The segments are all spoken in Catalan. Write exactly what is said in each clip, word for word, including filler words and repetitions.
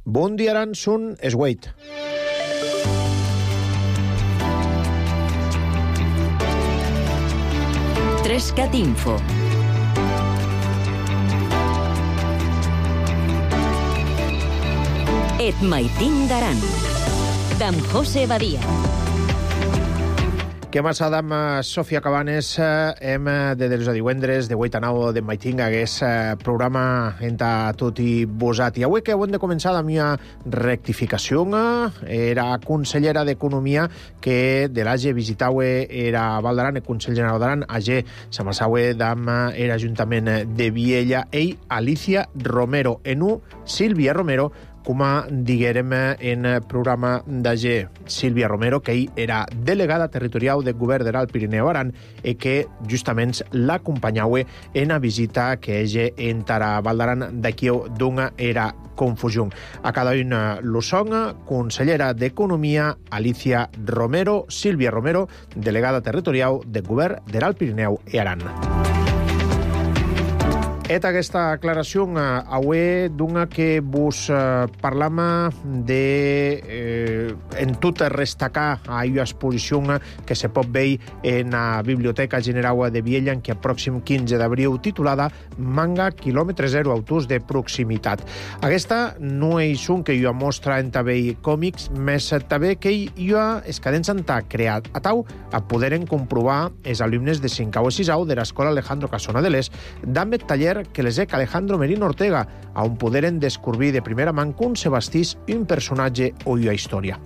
Bon dia, Aran, són es Wait. Trescat Info. Et maitin d'Aran, d'en José Badia. Què massa d'am Sofia Cabanes, hem de dels divendres de vuit a nou de maiting hagués programa entre tot i vosat. I avui que hem de començar la meva rectificació, era consellera d'Economia que de l'A G visitau era Val d'Aran, el Consell General d'Aran, A G s'amassau d'am era Ajuntament de Viella, ell Alicia Romero, en un Sílvia Romero, com diguérem en programa d'A G. Sílvia Romero, que ell era delegada territorial del govern de l'Alt Pirineu Aran i que justament l'acompanyau en la visita que ella entrarà a Val d'Aran d'aquí d'una era confusió. A cada una lo son, consellera d'Economia, Alicia Romero, Sílvia Romero, delegada territorial del govern de l'Alt Pirineu i Aran. Et aquesta aclaració avui d'una que vos eh, parlam de eh, en tot restacar a una exposició que se pot veure en la Biblioteca General de Viella en que el pròxim quinze d'abril titulada Manga quilòmetre zero, autors de proximitat. Aquesta no és un que jo mostra en també còmics, més també que jo es cadents han creat a tau a poderen comprovar els alumnes de cinquè i sisau de l'Escola Alejandro Casona de l'Est d'ambet taller que les ec Alejandro Merino Ortega, on poderen descobrir de primera mà com se bastís un personatge o una història.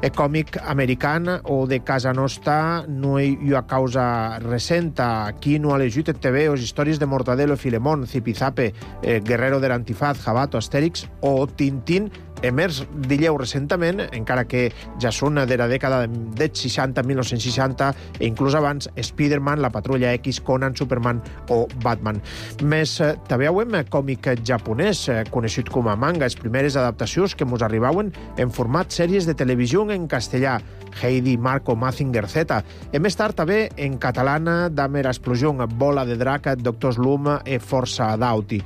El còmic american o de casa nostra no hi ha causa recenta. Aquí no ha llegit T V o històries de Mortadelo, Filemón, Zipizape, eh, Guerrero de l'Antifaz, Jabato, Astèrix o Tintín, emers dilleu recentament, encara que ja són de la dècada dels seixanta, mil nou-cents seixanta, e inclús abans Spider-Man, La Patrulla X, Conan, Superman o Batman. Més eh, també hem còmic japonès, eh, conegut com a manga, les primeres adaptacions que ens arribaven en format sèries de televisió en castellà, Heidi, Marco, Mazinger Z, i més tard també en català d'Amer Explosió, Bola de Drac, Doctor Slum i Força d'Auti.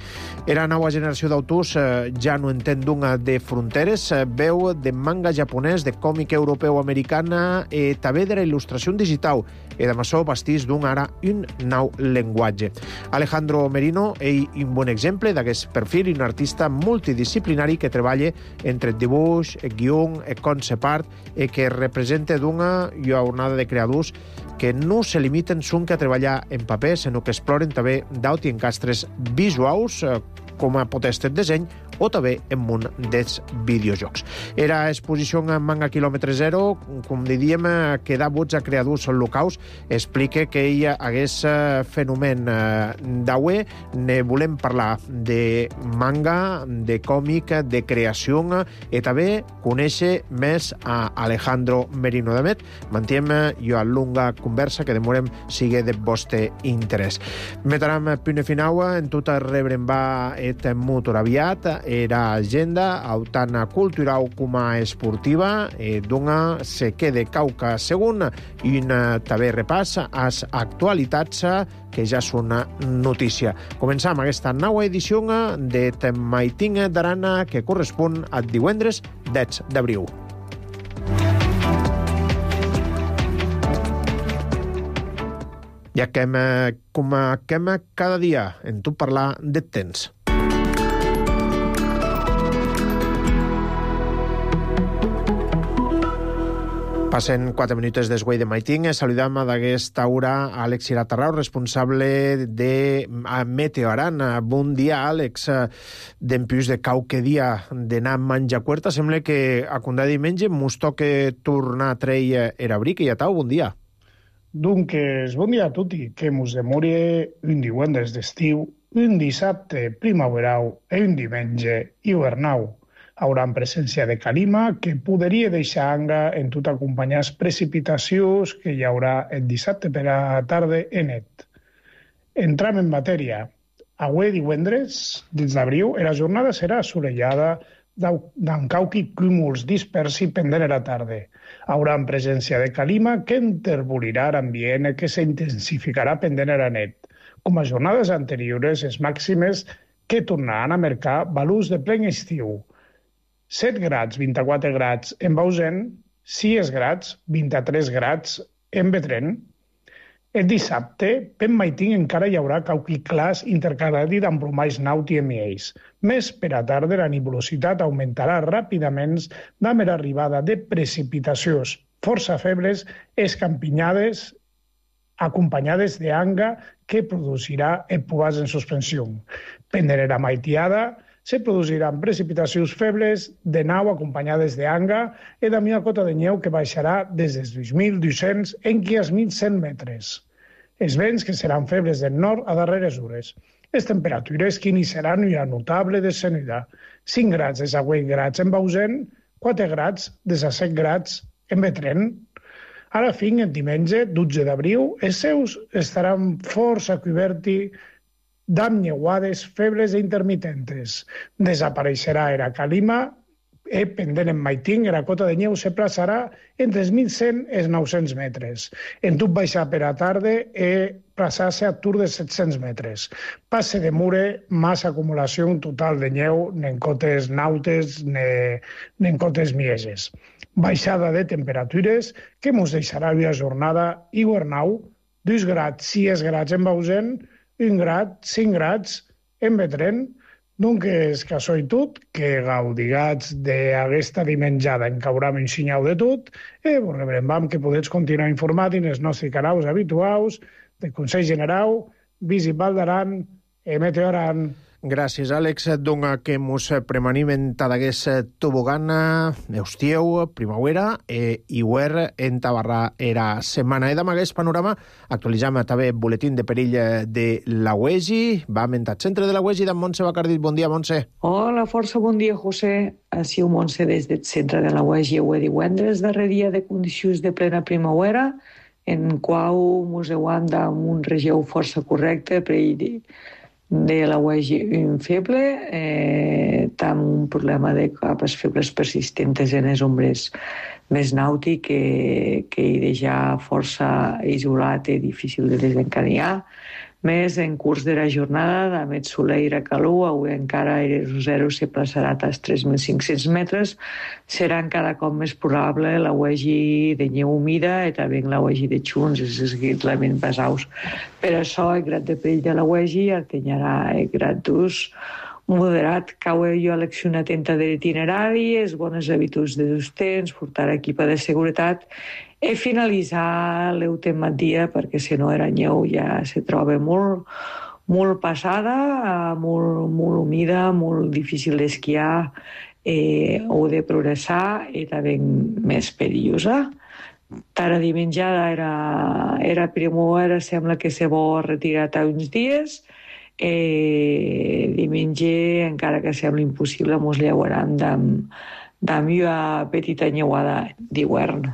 Era nova generació d'autors, eh, ja no entén d'una de fronteres, eh, veu de manga japonès, de còmic europeu americana i també de la il·lustració digital, i de maçó bastís d'un ara un nou llenguatge. Alejandro Merino és un bon exemple d'aquest perfil, un artista multidisciplinari que treballa entre el dibuix, el guió, el concept art, i que representa d'una jornada de creadors que no se limiten sonque a treballar en paper, sinó que exploren també d'auti encastres visuals, com a potestet disseny, o també en món dels videojocs. Era exposició en Manga quilòmetre zero, com diríem, que da vots a creadors locals, explica que ella hagués fenomen d'aué, ne volem parlar de manga, de còmic, de creació, i també conèixer més a Alejandro Merino Damet. Mantiem jo a longa conversa que demorem sigue de vostre interès. Metaram punt final en tot rebrem va et motor aviat, era agenda autant cultural com a esportiva, eh, d'una se quede cauca segon i un també repàs a les actualitats que ja són notícia. Començam aquesta nova edició de Maiting d'Aran que correspon al divendres deu d'abril. Ja que hem, com que hem cada dia en tu parlar de temps. Passen quatre minuts desguai de maiting. Saludam d'aquesta hora a Àlex Iratarrau, responsable de Meteo Aran. Bon dia, Àlex. Dempuix de qualque dia d'anar a menjar cuerta, sembla que a condar diumenge mos toca tornar a treure era abric i ja tau, bon dia. Doncs, bon dia a tutti, que mos demori un divendres d'estiu, un dissabte primaveral i un diumenge hivernau. Hauran presència de calima que podria deixar anga en tot acompanyar les precipitacions que hi haurà el dissabte per a la tarda en net. Entram en matèria. Avui divendres, dins d'abril, la jornada serà assolellada d'en cauqui cúmuls dispersi pendent a la tarda. Haurà presència de calima que interbolirà l'ambient que s'intensificarà pendent a la net. Com a jornades anteriors, les màximes que tornaran a marcar valors de plen estiu. set grads, vint-i-quatre grads en Bausen, sis grads, vint-i-tres grads en Betren. El dissabte, per Maitín encara hi haurà cauqui clars intercalat amb plomalls nauti i miells. Més per a tarda la nebulositat augmentarà ràpidament amb l'arribada de precipitacions força febles escampinyades acompanyades d'anga que produirà epubats en suspensió. Pendent la maitiada, se produiran precipitacions febles de nou acompanyades d'anga i de una cota de neu que baixarà des dels dos mil dos-cents en als mil cent metres. Els vents que seran febles del nord a darreres hores. Les temperatures que iniciaran una notable descenida. cinc grads des a vuit grads en Bausen, quatre grads des a set grads en Betren. A la fin, el diumenge, dotze d'abril, els seus estaran força coberts d'amb neuades febles i intermitentes. Desapareixerà la calima i, pendent en Maitín, la cota de neu se plaçarà entre els mil cent i els nou-cents metres. En tot baixar per a tarda i plaçar-se a tur de set-cents metres. Passe de mure, massa acumulació total de neu, ni en cotes nautes ni, ni en cotes mieses. Baixada de temperatures que ens deixarà una jornada hivernau, dos grads, sis grads en Bausen, un grad, cinc grads en Betren. Donc és que això i tot, que gaudigats d'aquesta dimenjada en cauram un sinyau de tot, i vos rebrem que podeu continuar informat en els nostres canals habituals de Consell General, Visipat d'Aran i Meteoran. Gràcies, Àlex. Donga que mos premanim en tadagués tobogana, eustieu, primavera, e iuer en tabarra era setmana. E d'amagués panorama actualitzam també boletín de perill de la U E G I. Vam en el centre de la U E G I d'en Montse Bacardit. Bon dia, Montse. Hola, força bon dia, José. Així ho Montse des del centre de la U E G I ho he divendres, darrer dia de condicions de plena primavera, en qual mos heuam d'un regió força correcte per ell de la U E G I un feble, eh, tam un problema de capes febles persistentes en les ombres més nàutic que, que hi deixa força isolat i difícil de desencadenar. Més en curs de la jornada, amb el soleil i calor, avui encara el zero se plaçarà als tres mil cinc-cents metres, serà cada cop més probable la U E G I de neu humida i també la U E G I de xuns, els elements basaus. Per això, el grad de perill de la U E G I atenyarà el grad d'ús moderat. Cau jo a l'acció atenta de l'itinerari, les bones habituds de sostens, portar equipa de seguretat i finalitzar l'eutematdia, perquè si no era neu ja se troba molt, molt passada, molt, molt humida, molt difícil d'esquiar eh, o de progressar i també més perillosa. Tara dimenjada era, era primavera, sembla que se vol retirar a uns dies. Eh, diumenge, encara que sembla impossible, mos lleuaran d'am una petita nyeuada d'hivern.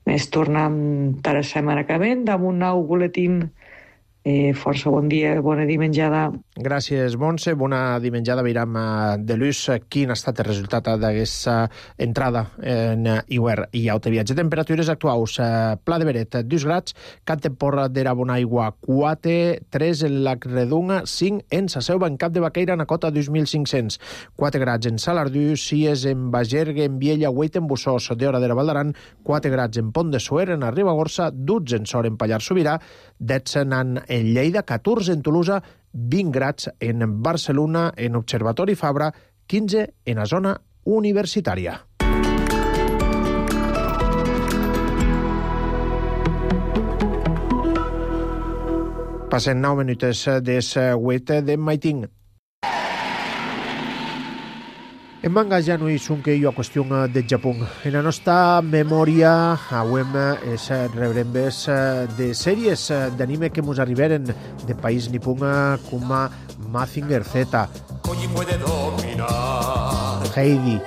Ens tornem a la setmana que ve amb un nou boletín. Eh, força bon dia, bona dimenjada. Gràcies, Montse. Bona dimenjada. Veiram de l'ús quin ha estat el resultat d'aquesta entrada en hivern i autoviatge. Temperatures actuals. Pla de Beret, dos grads. Cap de Porra d'Era Bonaigua, quatre, tres en la Redunga, cinc en Sa Selva, en Cap de Baqueira, en Cota, dos mil cinc-cents. quatre grads en Salardú, sis en Bagergue, en Viella, vuit en Bussós, de Hora d'Era Valdaran, quatre grads en Pont de Suer, en Ribagorça, dotze en Sor, en Pallars Sobirà, dotze en en Lleida, catorze en Tolosa, vint grads en Barcelona, en Observatori Fabra, quinze en la zona universitària. Passen nou minuts des vuit de Maitín. En manga ja no és un que hi ha qüestió de Japó. En la nostra memòria avem es rebrembes de sèries d'anime que ens arriberen de país nipó com a Mazinger Z, Heidi,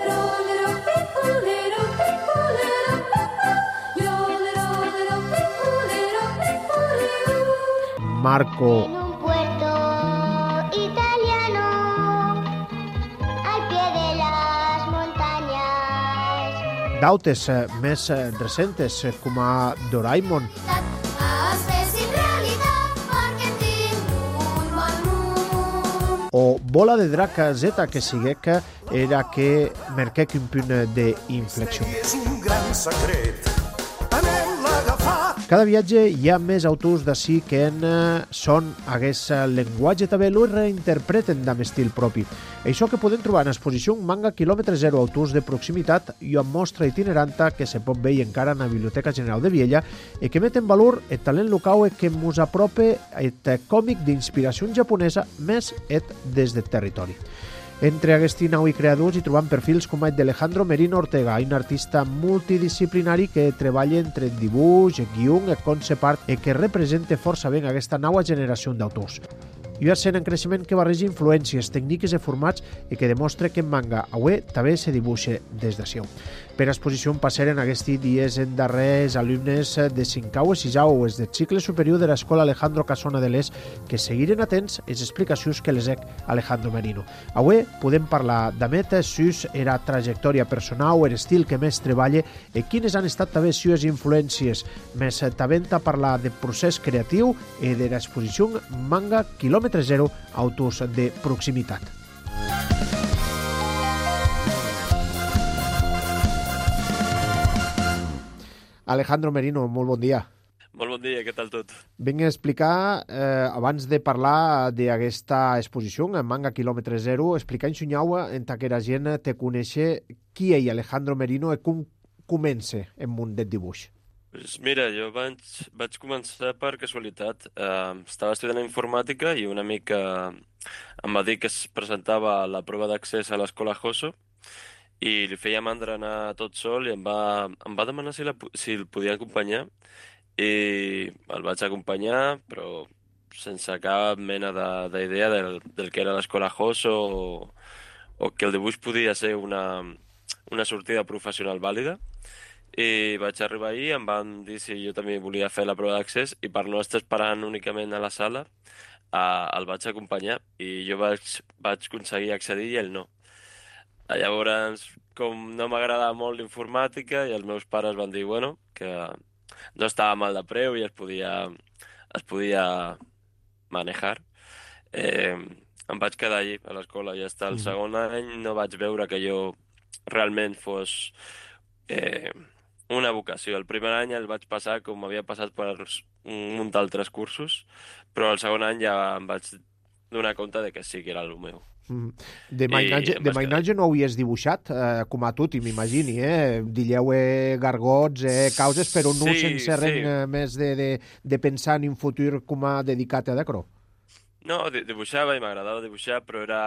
Marco, d'altres més recentes com a Doraemon o Bola de Drac Z, que sigue que era que marquec un punt d'inflexió. És un gran secret. Anem-la a agafar. Cada viatge hi ha més autors d'ací que en son hagués llenguatge també lo reinterpreten amb estil propi. Això que podem trobar en exposició manga quilòmetre zero autors de proximitat i amb mostra itineranta que se pot veure encara en la Biblioteca General de Viella i que met en valor el talent local que mos apropa el còmic d'inspiració japonesa més et des del territori. Entre aquests nou creadors hi trobam perfils com el d'Alejandro Merino Ortega, un artista multidisciplinari que treballa entre el dibuix, el guió, el concept art i que representa força bé aquesta nova generació d'autors. I va ser en creixement que barreja influències, tècniques i formats i que demostra que en manga avui també se dibuixa des d'ací. Per exposició passaren aquests dies en darrers alumnes de cinquè i sisè o del cicle superior de l'Escola Alejandro Casona de l'Est que seguiren atents les explicacions que les ec Alejandro Merino. Avui podem parlar d'amet sus era trajectòria personal, el estil que més treballa i quines han estat també les influències. Més també a parlar de procés creatiu i de l'exposició manga quilòmetre zero autors de proximitat. Alejandro Merino, molt bon dia. Molt bon dia, què tal tot? Vinc a explicar, eh, abans de parlar d'aquesta exposició, en manga quilòmetre zero, explicar-nos un nyau en que la gent te conèixer qui és Alejandro Merino i com comença en món del dibuix. Pues mira, jo vaig, vaig començar per casualitat. Uh, estava estudiant informàtica i un amic uh, em va dir que es presentava a la prova d'accés a l'escola Joso i li feia mandra anar tot sol i em va, em va demanar si, la, si el podia acompanyar i el vaig acompanyar, però sense cap mena d'idea de, del, del que era l'escola Joso o, o que el dibuix podia ser una, una sortida professional vàlida. I vaig arribar ahir, em van dir si jo també volia fer la prova d'accés i per no estar esperant únicament a la sala eh, el vaig acompanyar i jo vaig, vaig aconseguir accedir i ell no. Llavors, com no m'agradava molt l'informàtica i els meus pares van dir bueno, que no estava mal de preu i es podia, es podia manejar, eh, em vaig quedar allí a l'escola i fins al segon any no vaig veure que jo realment fos eh, una vocació. El primer any el vaig passar com havia passat per un munt d'altres cursos, però el segon any ja em vaig donar compte de que sí que era el meu. De mainatge, de mainatge no ho havies dibuixat, eh, com a tu, m'imagini, eh? Dilleu eh, gargots, eh, causes, però no sí, sense sí. res més de, de, de pensar en un futur com a dedicat a d'acro. No, dibuixava i m'agradava dibuixar, però era,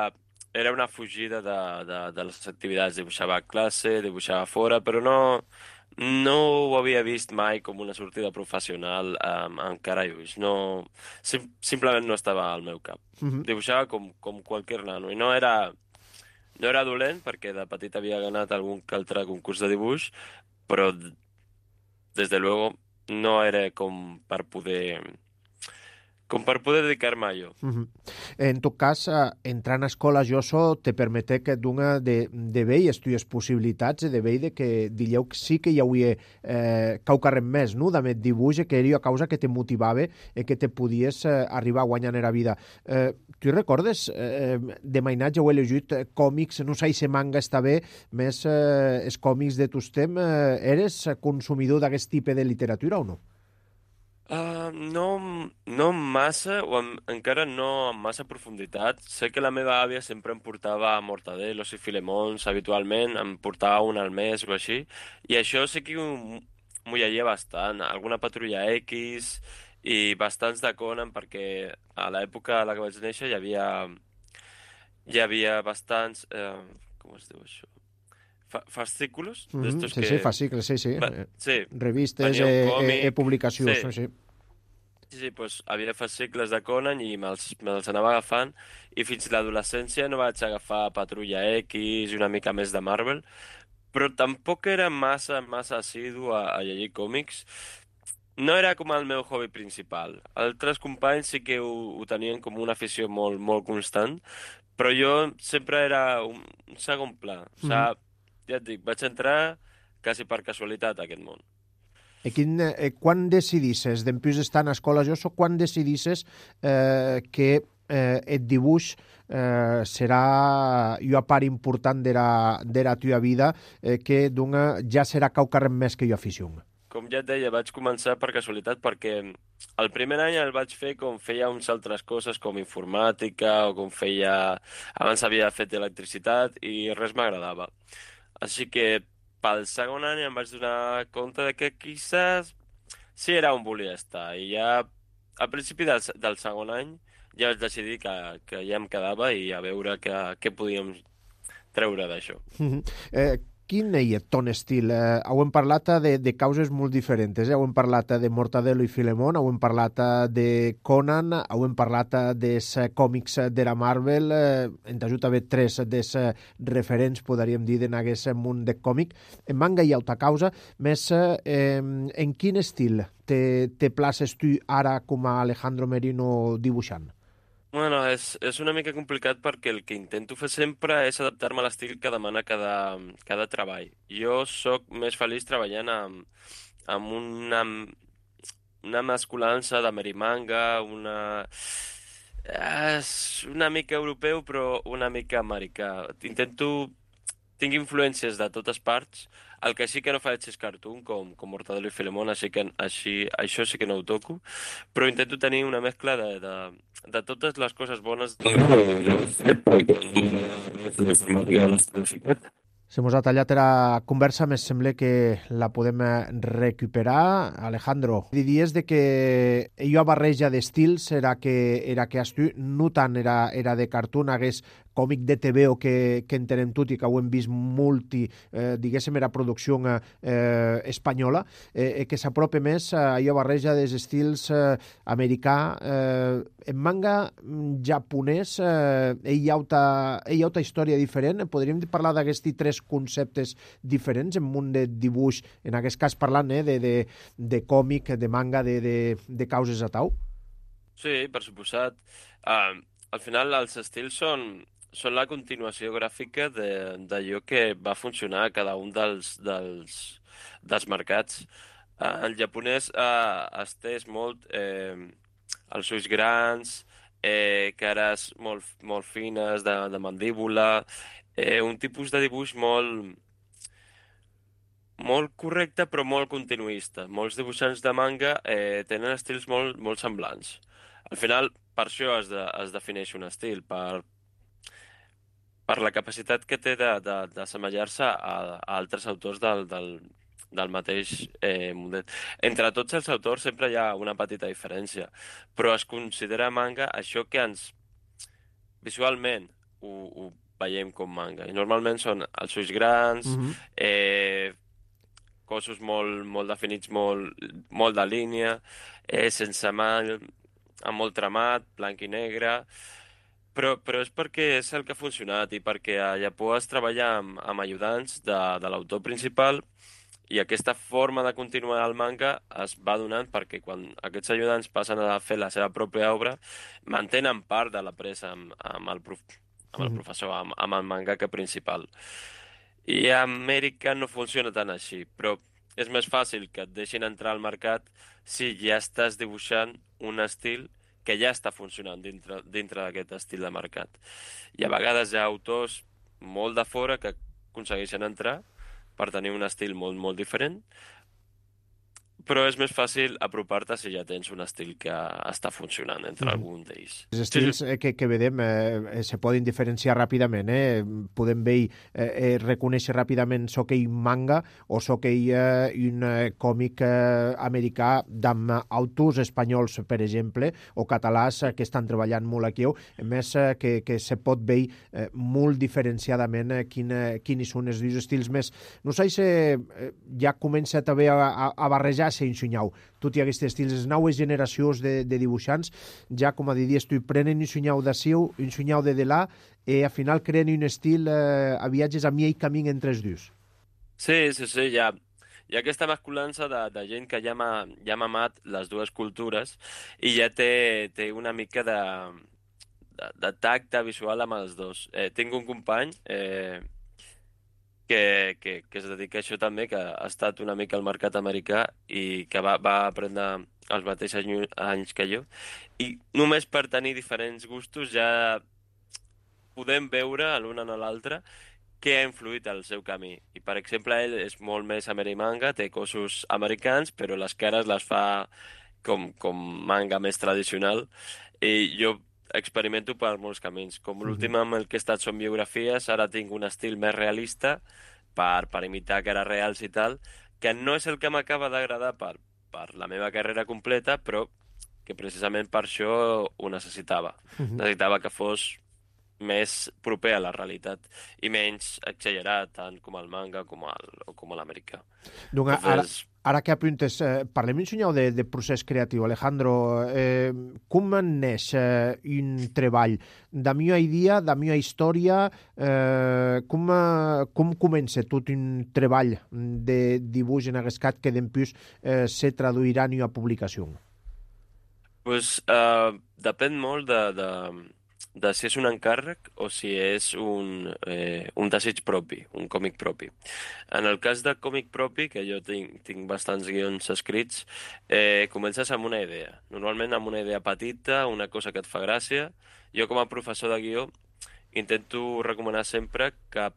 era una fugida de, de, de les activitats. Dibuixava a classe, dibuixava fora, però no, no ho havia vist mai com una sortida professional um, encara i ulls. No, sim, simplement no estava al meu cap. Uh-huh. Dibuixava com, com qualsevol nano i no era, no era dolent perquè de petit havia ganat algun altre concurs de dibuix, però des de luego no era com per poder... com per poder dedicar-me a allò. Uh-huh. En tot cas, eh, entrar en escola Joso te permete que d'una de, de veure les possibilitats de veure que dilleu que sí que hi hauria eh, caucarrem més, no?, de dibuix, que era a causa que te motivava i que te podies eh, arribar a guanyar en la vida. Eh, tu recordes eh, de mainatge o he llegit eh, còmics, no sé si manga està bé, més eh, els còmics de tus temps, eh, eres consumidor d'aquest tipus de literatura o no? Uh, no, no massa, o en, encara no amb massa profunditat. Sé que la meva àvia sempre em portava Mortadelos i Filemons habitualment, em portava un al mes o així, i això sí que m'ho llegia bastant. Alguna Patrulla X i bastants de Conan, perquè a l'època a la que vaig néixer hi havia, hi havia bastants... Eh, com es diu això? Fascículos? Mm-hmm. Sí, que... sí, fascicles, sí, sí. Va, sí. Revistes, eh, còmic, eh, publicacions, sí. sí. Sí, sí, doncs havia fascicles de Conan i me'ls me anava agafant i fins a l'adolescència no vaig agafar Patrulla X i una mica més de Marvel, però tampoc era massa, massa assidu a, a llegir còmics. No era com el meu hobby principal. Altres companys sí que ho, ho tenien com una afició molt, molt constant, però jo sempre era un segon pla. O sigui, mm. ja et dic, vaig entrar quasi per casualitat a aquest món. I quin, eh, quan decidisses, d'empús estar en escola Joso, quan decidisses eh, que eh, el dibuix eh, serà una part important de la teva vida eh, que d'una ja serà caucarrem més que jo afició. Com ja et deia, vaig començar per casualitat perquè el primer any el vaig fer com feia uns altres coses com informàtica o com feia... Abans havia fet electricitat i res m'agradava. Així que pel segon any em vaig donar compte de que quizás sí era on volia estar. I ja al principi del, del segon any ja vaig decidir que, que ja em quedava i a veure què, què podíem treure d'això. Mm-hmm. eh, Quin és ton estil? Eh, hem parlat de, de causes molt diferents. Eh? Hem parlat de Mortadelo i Filemón, hem parlat de Conan, hem parlat dels còmics de la Marvel. Eh, en t'ajut a haver tres dels referents, podríem dir, en aquest món de còmic. En manga hi ha altra causa, més eh, en quin estil te, te places tu ara com a Alejandro Merino dibuixant? Bueno, és, és una mica complicat perquè el que intento fer sempre és adaptar-me a l'estil que demana cada, cada treball. Jo sóc més feliç treballant amb, amb una, una mescolança de merimanga, una... És una mica europeu però una mica americà. Intento... Tinc influències de totes parts. El que sí que no faig és cartoon, com, com Mortadelo i Filemón, així que així, això sí que no ho toco. Però intento tenir una mescla de, de, de totes les coses bones. Se mos ha tallat la conversa, me sembla que la podem recuperar. Alejandro, diries de que allò barreja d'estils era que, era que has tu, no tant era, era de cartoon, hagués còmic de T V o que, que entenem tot i que ho hem vist multi, eh, diguéssim, era producció eh, espanyola, eh, que s'apropa més a allò barreja dels estils eh, americà. Eh, en manga japonès eh, hi ha altra història diferent. Podríem parlar d'aquests tres conceptes diferents en un de dibuix, en aquest cas parlant eh, de, de, de còmic, de manga, de, de, de causes a tau? Sí, per suposat. Uh, al final els estils són són la continuació gràfica d'allò que va funcionar a cada un dels, dels, dels mercats. Uh, el japonès uh, ha estès molt eh, els ulls grans, eh, cares molt, molt fines de, de mandíbula, eh, un tipus de dibuix molt, molt correcte però molt continuista. Molts dibuixants de manga eh, tenen estils molt, molt semblants. Al final, per això es, de, es defineix un estil, per per la capacitat que té d'assemellar-se a, a altres autors del, del, del mateix eh, model. Entre tots els autors sempre hi ha una petita diferència, però es considera manga això que ens visualment ho, ho veiem com manga. I normalment són els ulls grans, mm-hmm. eh, cossos molt, molt definits, molt, molt de línia, eh, sense mal, amb molt tramat, blanc i negre... Però, però és perquè és el que ha funcionat i perquè a Japó es treballa amb, amb ajudants de, de l'autor principal i aquesta forma de continuar el manga es va donant perquè quan aquests ajudants passen a fer la seva pròpia obra mantenen part de la presa amb, amb, el, prof, amb el professor, amb, amb el mangaka principal. I a Amèrica no funciona tant així, però és més fàcil que et deixin entrar al mercat si ja estàs dibuixant un estil que ja està funcionant dintre, dintre d'aquest estil de mercat. I a vegades hi ha autors molt de fora que aconsegueixen entrar per tenir un estil molt, molt diferent, però és més fàcil apropar-te si ja tens un estil que està funcionant entre mm. algun d'ells. Els estils sí, sí. que, que vedem eh, se poden diferenciar ràpidament. Eh? Podem veure, eh, eh, reconèixer ràpidament soc ell manga o soc ell eh, un eh, còmic eh, americà d'amb autors espanyols, per exemple, o catalans eh, que estan treballant molt aquí. A més, eh, que, que se pot veure eh, molt diferenciadament eh, quin, eh, quins són els dos estils més. No sé si eh, ja comença també a, a, a barrejar se ensunyau. Tot i aquests estils, les noves generacions de, de dibuixants, ja, com a diries tu, prenen un sunyau de seu, un sunyau de delà, i al final creen un estil eh, a viatges a mi i camí entre els dos. Sí, sí, sí, ja. Hi ha aquesta mescolança de, de gent que ja m'ha ja mamat les dues cultures i ja té, té una mica de, de, de tacte visual amb els dos. Eh, tinc un company... Eh, que, que, que es dedica a això també, que ha estat una mica al mercat americà i que va, va aprendre els mateixos any- anys que jo. I només per tenir diferents gustos ja podem veure l'un en l'altre què ha influït al seu camí. I, per exemple, ell és molt més amerimanga, té cossos americans, però les cares les fa com, com manga més tradicional. I jo experimento per molts camins. Com l'últim amb el que he estat són biografies, ara tinc un estil més realista per, per imitar cares reals i tal, que no és el que m'acaba d'agradar per, per la meva carrera completa, però que precisament per això ho necessitava. Necessitava que fos més proper a la realitat i menys exagerat, tant com el manga com el, o com l'americà. Donc, ara, Entonces, ara que apuntes, eh, parlem un senyal de, de procés creatiu. Alejandro, eh, com neix eh, un treball? Da meva idea, da meva història, eh, com, eh, com comença tot un treball de dibuix en aquest cas que després eh, se traduirà en una publicació? pues, uh, depèn molt de, de, de si és un encàrrec o si és un, eh, un desig propi, un còmic propi. En el cas de còmic propi, que jo tinc, tinc bastants guions escrits, eh, comences amb una idea. Normalment amb una idea petita, una cosa que et fa gràcia. Jo com a professor de guió intento recomanar sempre que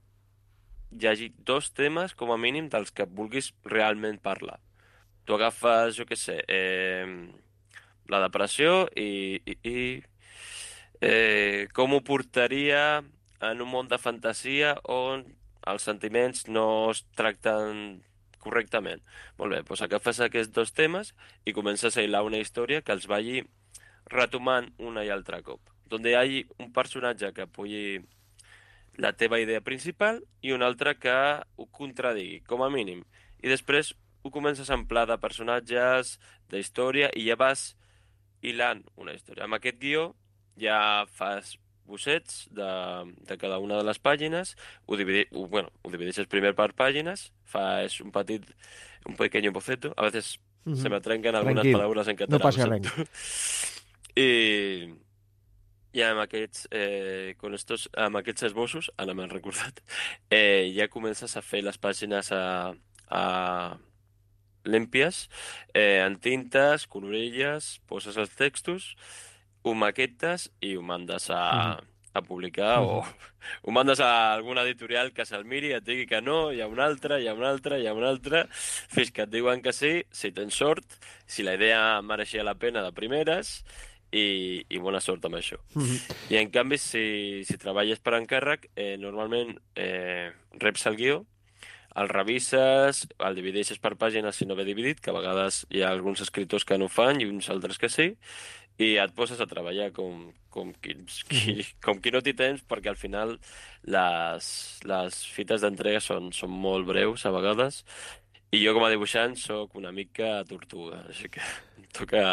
hi hagi dos temes, com a mínim, dels que vulguis realment parlar. Tu agafes, jo què sé, eh, la depressió i, i, i eh, com ho portaria en un món de fantasia on els sentiments no es tracten correctament. Molt bé, doncs agafes aquests dos temes i comences a hilar una història que els vagi retomant una i altra cop. On hi hagi un personatge que pugui la teva idea principal i un altre que ho contradigui, com a mínim. I després ho comences a emplear de personatges, d'història, i ja vas hilant una història. Amb aquest guió ja fas bossets de, de cada una de les pàgines, ho, dividi, ho, bueno, ho divideixes primer per pàgines, fas un petit, un pequeño boceto, a veces Mm-hmm. se me trenquen algunes Tranquil, paraules en català. no passa ho res. sento. I, i amb aquests, eh, con estos, amb aquests esbossos, ara m'he recordat, eh, ja comences a fer les pàgines a, a lèmpies, eh, en tintes, colorilles, poses els textos, ho maquetes i ho mandes a, a publicar o ho mandes a alguna editorial que se'l miri, et digui que no, hi ha una altra, hi ha una altra, hi ha una altra, fins que et diuen que sí, si tens sort, si la idea mereixia la pena de primeres, i, i bona sort amb això. I en canvi, si, si treballes per encàrrec, eh, normalment eh, reps el guió, el revises, el divideixes per pàgines si no ve dividit, que a vegades hi ha alguns escriptors que no ho fan i uns altres que sí, i et poses a treballar com, com, qui, qui, com qui no té temps, perquè al final les, les fites d'entrega són, són molt breus a vegades, i jo com a dibuixant sóc una mica tortuga, així que em toca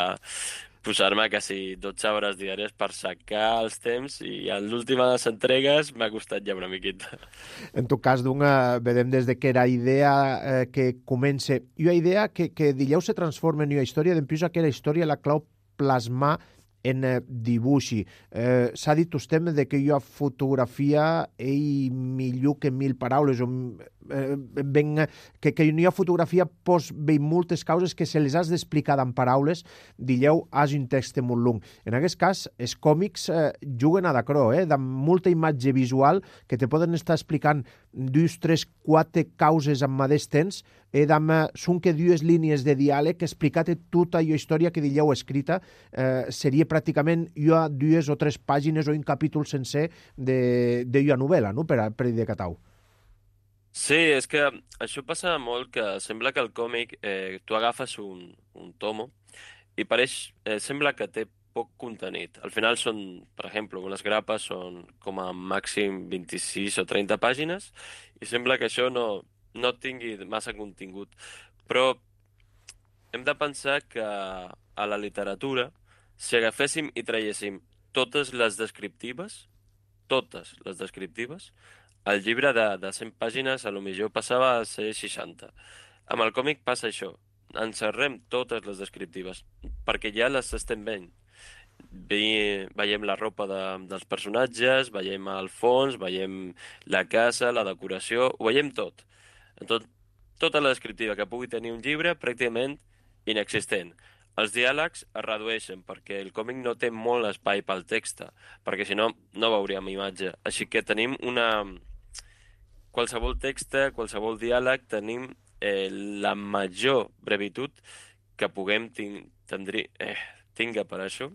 posar-me quasi dotze hores diàries per sacar els temps, i a les últimes entregues m'ha costat ja una miqueta. En tot cas, doncs, vedem des de que era idea eh, que comença, i una idea que, que dileu se transforma en una història, d'empús aquella història la clau plasmar en eh, dibuixi. Eh, S'ha dit usted de que una fotografia és millor que mil paraules, o eh, ben, que, que una fotografia pos bé moltes causes que se les has d'explicar en paraules, dilleu, has un text molt long. En aquest cas, els còmics eh, juguen a d'acrò, eh, de molta imatge visual que te poden estar explicant dues, tres, quatre causes en mateix temps, eh, amb, són que dues línies de diàleg explicat tota la història que dilleu escrita, eh, seria pràcticament ja dues o tres pàgines o un capítol sencer d'una novel·la, no?, per, a, per de Catau. Sí, és que això passa molt, que sembla que el còmic, eh, tu agafes un, un tomo i pareix, eh, sembla que té poc contenit. Al final són, per exemple, unes grapes són com a màxim vint-i-sis o trenta pàgines i sembla que això no, no tingui massa contingut. Però hem de pensar que a la literatura, si agaféssim i traiéssim totes les descriptives, totes les descriptives, el llibre de, de cent pàgines a lo millor passava a ser seixanta. Amb el còmic passa això. Encerrem totes les descriptives, perquè ja les estem veient. ve, veiem la ropa de, dels personatges, veiem el fons, veiem la casa, la decoració, ho veiem tot. Tot, tota la descriptiva que pugui tenir un llibre, pràcticament inexistent. Els diàlegs es redueixen perquè el còmic no té molt espai pel text, perquè si no, no veuríem imatge. Així que tenim una... Qualsevol text, qualsevol diàleg, tenim eh, la major brevitud que puguem tin tindri eh, tinga per això.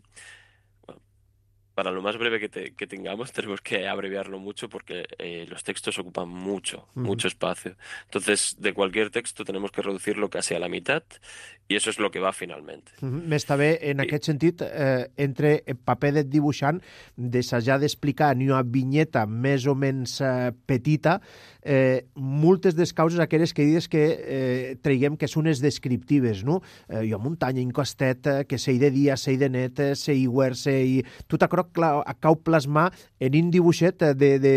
Para lo más breve que, te, que tengamos, tenemos que abreviarlo mucho porque eh, los textos ocupan mucho, uh-huh. mucho espacio. Entonces, de cualquier texto tenemos que reducirlo casi a la mitad i eso és lo que va finalment. Uh-huh. M'està bé, en I... aquest sentit, eh, entre el paper de dibuixant, d'assajar d'explicar en una vinyeta més o menys eh, petita, eh, moltes des causes aquelles que dius que eh, traiguem que són les descriptives, no? Eh, jo muntanya, en costet, eh, que sei de dia, sei de net, sei huer, sei... Tot això cau plasmar en un dibuixet de, de,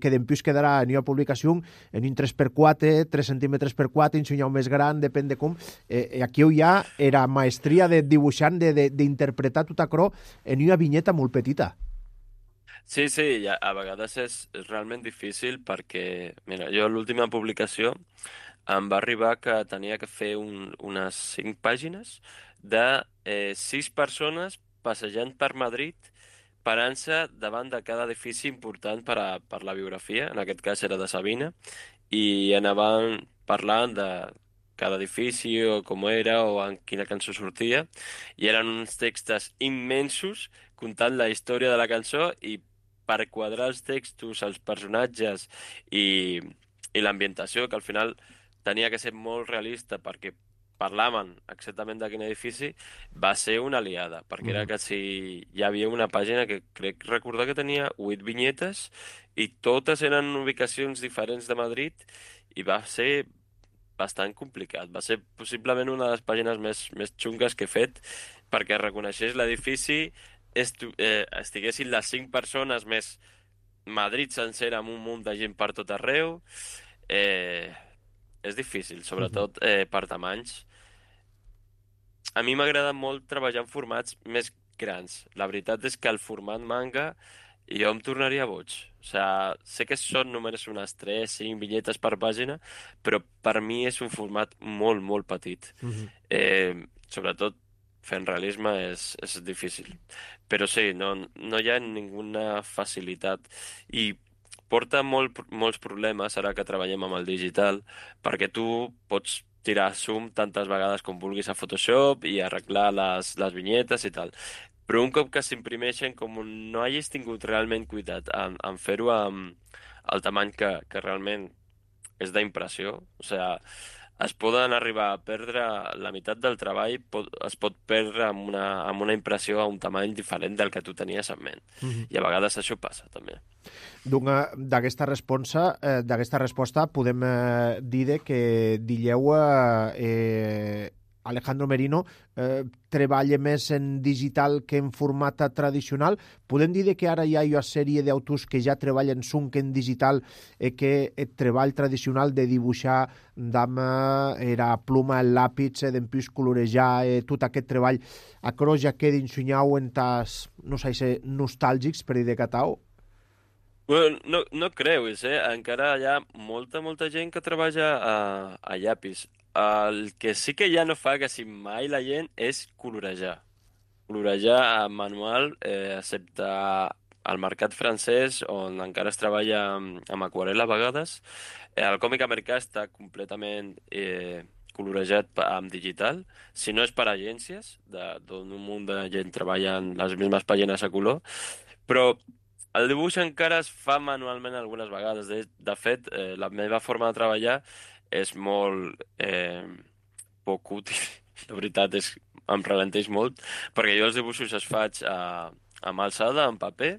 que dempius quedarà en una publicació en un tres per quatre, tres centímetres per quatre, un senyal més gran, depèn de com. Eh, aquí hi ha era maestria de dibuixant, d'interpretar tot això en una vinyeta molt petita. Sí, sí, a, a vegades és, és realment difícil perquè, mira, jo l'última publicació em va arribar que tenia que fer un, unes cinc pàgines de eh, sis persones passejant per Madrid parant-se davant de cada edifici important per, a, per la biografia, en aquest cas era de Sabina, i anaven parlant de cada edifici o com era o en quina cançó sortia, i eren uns textos immensos contant la història de la cançó i per quadrar els textos, els personatges i, i l'ambientació, que al final tenia que ser molt realista perquè parlaven exactament de quin edifici, va ser una aliada, perquè era que si hi havia una pàgina que crec recordar que tenia vuit vinyetes i totes eren ubicacions diferents de Madrid i va ser bastant complicat. Va ser possiblement una de les pàgines més, més xungues que he fet perquè reconeixés l'edifici, eh, estiguessin les cinc persones més Madrid sencera amb un munt de gent per tot arreu. Eh, és difícil, sobretot eh, per tamanys. A mi m'agrada molt treballar en formats més grans. La veritat és que el format manga jo em tornaria boig. O sigui, sé que són només unes tres cinc vinyetes per pàgina, però per mi és un format molt, molt petit. Uh-huh. eh, sobretot fent realisme és, és difícil. Però sí, no, no hi ha ninguna facilitat. I porta molt, molts problemes ara que treballem amb el digital, perquè tu pots tirar zoom tantes vegades com vulguis a Photoshop i arreglar les, les vinyetes i tal. Però un cop que s'imprimeixen, com no hagis tingut realment cuidat en, en fer-ho amb el tamany que, que realment és d'impressió, o sigui, es poden arribar a perdre la meitat del treball, pot, es pot perdre amb una, amb una impressió a un tamany diferent del que tu tenies en ment. Mm-hmm. I a vegades això passa, també. D'aquesta resposta, eh, d'aquesta resposta podem eh, dir que dilleu eh, Alejandro Merino eh, treballa més en digital que en format tradicional. Podem dir que ara hi ha una sèrie d'autors que ja treballen sunk en digital i que el treball tradicional de dibuixar amb era pluma, el làpid, d'empús colorejar, eh, tot aquest treball, a cros ja queda ensunyau en tas, no sé si nostàlgics per dir de catau? Bueno, no, no creus, eh? Encara hi ha molta, molta gent que treballa a, a llapis. El que sí que ja no fa quasi mai la gent és colorejar. Colorejar a manual, eh, excepte al mercat francès, on encara es treballa amb, amb aquarel·la a vegades. Eh, el còmic americà està completament eh, colorejat amb digital, si no és per agències, d'on un munt de gent treballa en les mismes pàgines a color, però el dibuix encara es fa manualment algunes vegades. De, de fet, eh, la meva forma de treballar és molt eh, poc útil. La veritat és em ralenteix molt, perquè jo els dibuixos els faig a, amb alçada, en paper,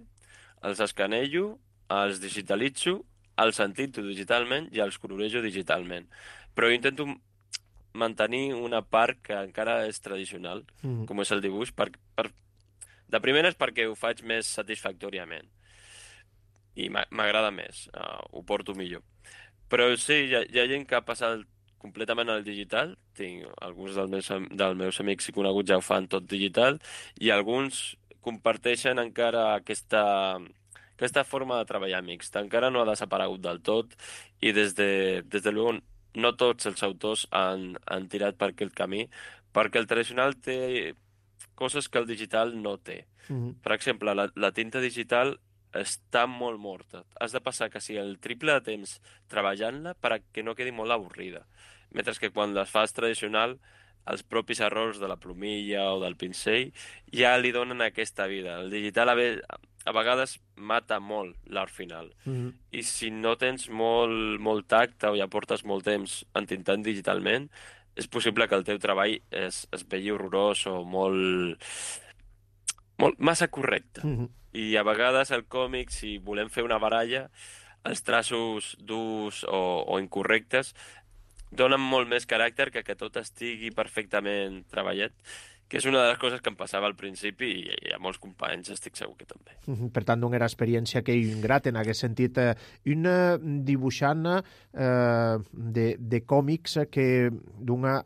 els escanejo, els digitalitzo, els entito digitalment i els colorejo digitalment. Però jo intento mantenir una part que encara és tradicional, mm. com és el dibuix. Per, per... De primeres perquè ho faig més satisfactòriament i m'agrada més, uh, ho porto millor. Però sí, hi ha, hi ha gent que ha passat completament al digital. Tinc alguns dels meus, dels meus amics i coneguts ja ho fan tot digital, i alguns comparteixen encara aquesta, aquesta forma de treballar mixta. Encara no ha desaparegut del tot i des de, des de llavors no tots els autors han, han tirat per aquest camí, perquè el tradicional té coses que el digital no té. Mhm. Per exemple, la, la tinta digital està molt morta. Has de passar quasi el triple de temps treballant-la perquè no quedi molt avorrida. Mentre que quan les fas tradicional, els propis errors de la plomilla o del pinzell ja li donen aquesta vida. El digital a, ve, a vegades mata molt l'art final. Mhm. I si no tens molt, molt tacte o ja portes molt temps entintant digitalment, és possible que el teu treball es, es vegi horrorós o molt, molt massa correcte. Mhm. I a vegades el còmic, si volem fer una baralla, els traços durs o, o incorrectes donen molt més caràcter que que tot estigui perfectament treballat, que és una de les coses que em passava al principi i, i a molts companys estic segur que també. Mhm. Per tant, una experiència que un grat en aquest sentit. Eh, un eh, dibuixant eh, de, de còmics que d'una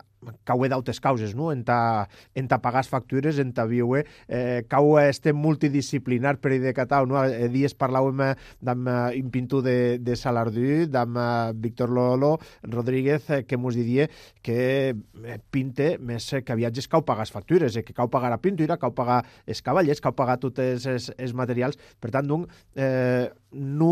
cau d'autes causes, no? En ta, en ta pagar factures, en ta viure, eh, cau este multidisciplinar per de Catau, no? Eh, dies parlàvem amb eh, un pintor de, de Salardú, amb eh, Víctor Lolo Rodríguez, eh, que mos diria que eh, pinte més eh, que viatges cau pagar factures, eh, que cau pagar la pintura, cau pagar els cavallers, cau pagar tots els, els, els materials. Per tant, doncs, eh, no,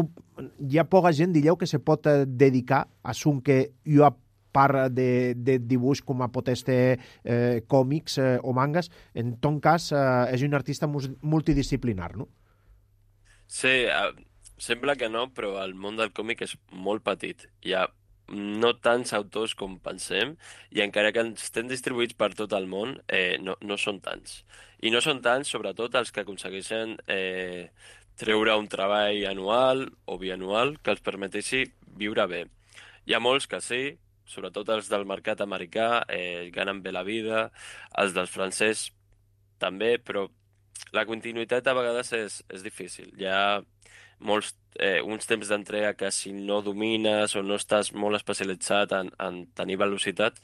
hi ha poca gent, dilleu, que se pot eh, dedicar a un que jo ha part de, de dibuix com a pot este eh, còmics eh, o mangas. En ton cas, eh, és un artista multidisciplinar, no? Sí, eh, sembla que no, però el món del còmic és molt petit. Hi ha no tants autors com pensem, i encara que estem distribuïts per tot el món, eh, no, no són tants. I no són tants, sobretot, els que aconsegueixen eh, treure un treball anual o bianual que els permeteixi viure bé. Hi ha molts que sí, sobretot els del mercat americà, eh, ganen bé la vida, els dels francès també, però la continuïtat a vegades és, és difícil. Hi ha molts, eh, uns temps d'entrega que si no domines o no estàs molt especialitzat en, en tenir velocitat,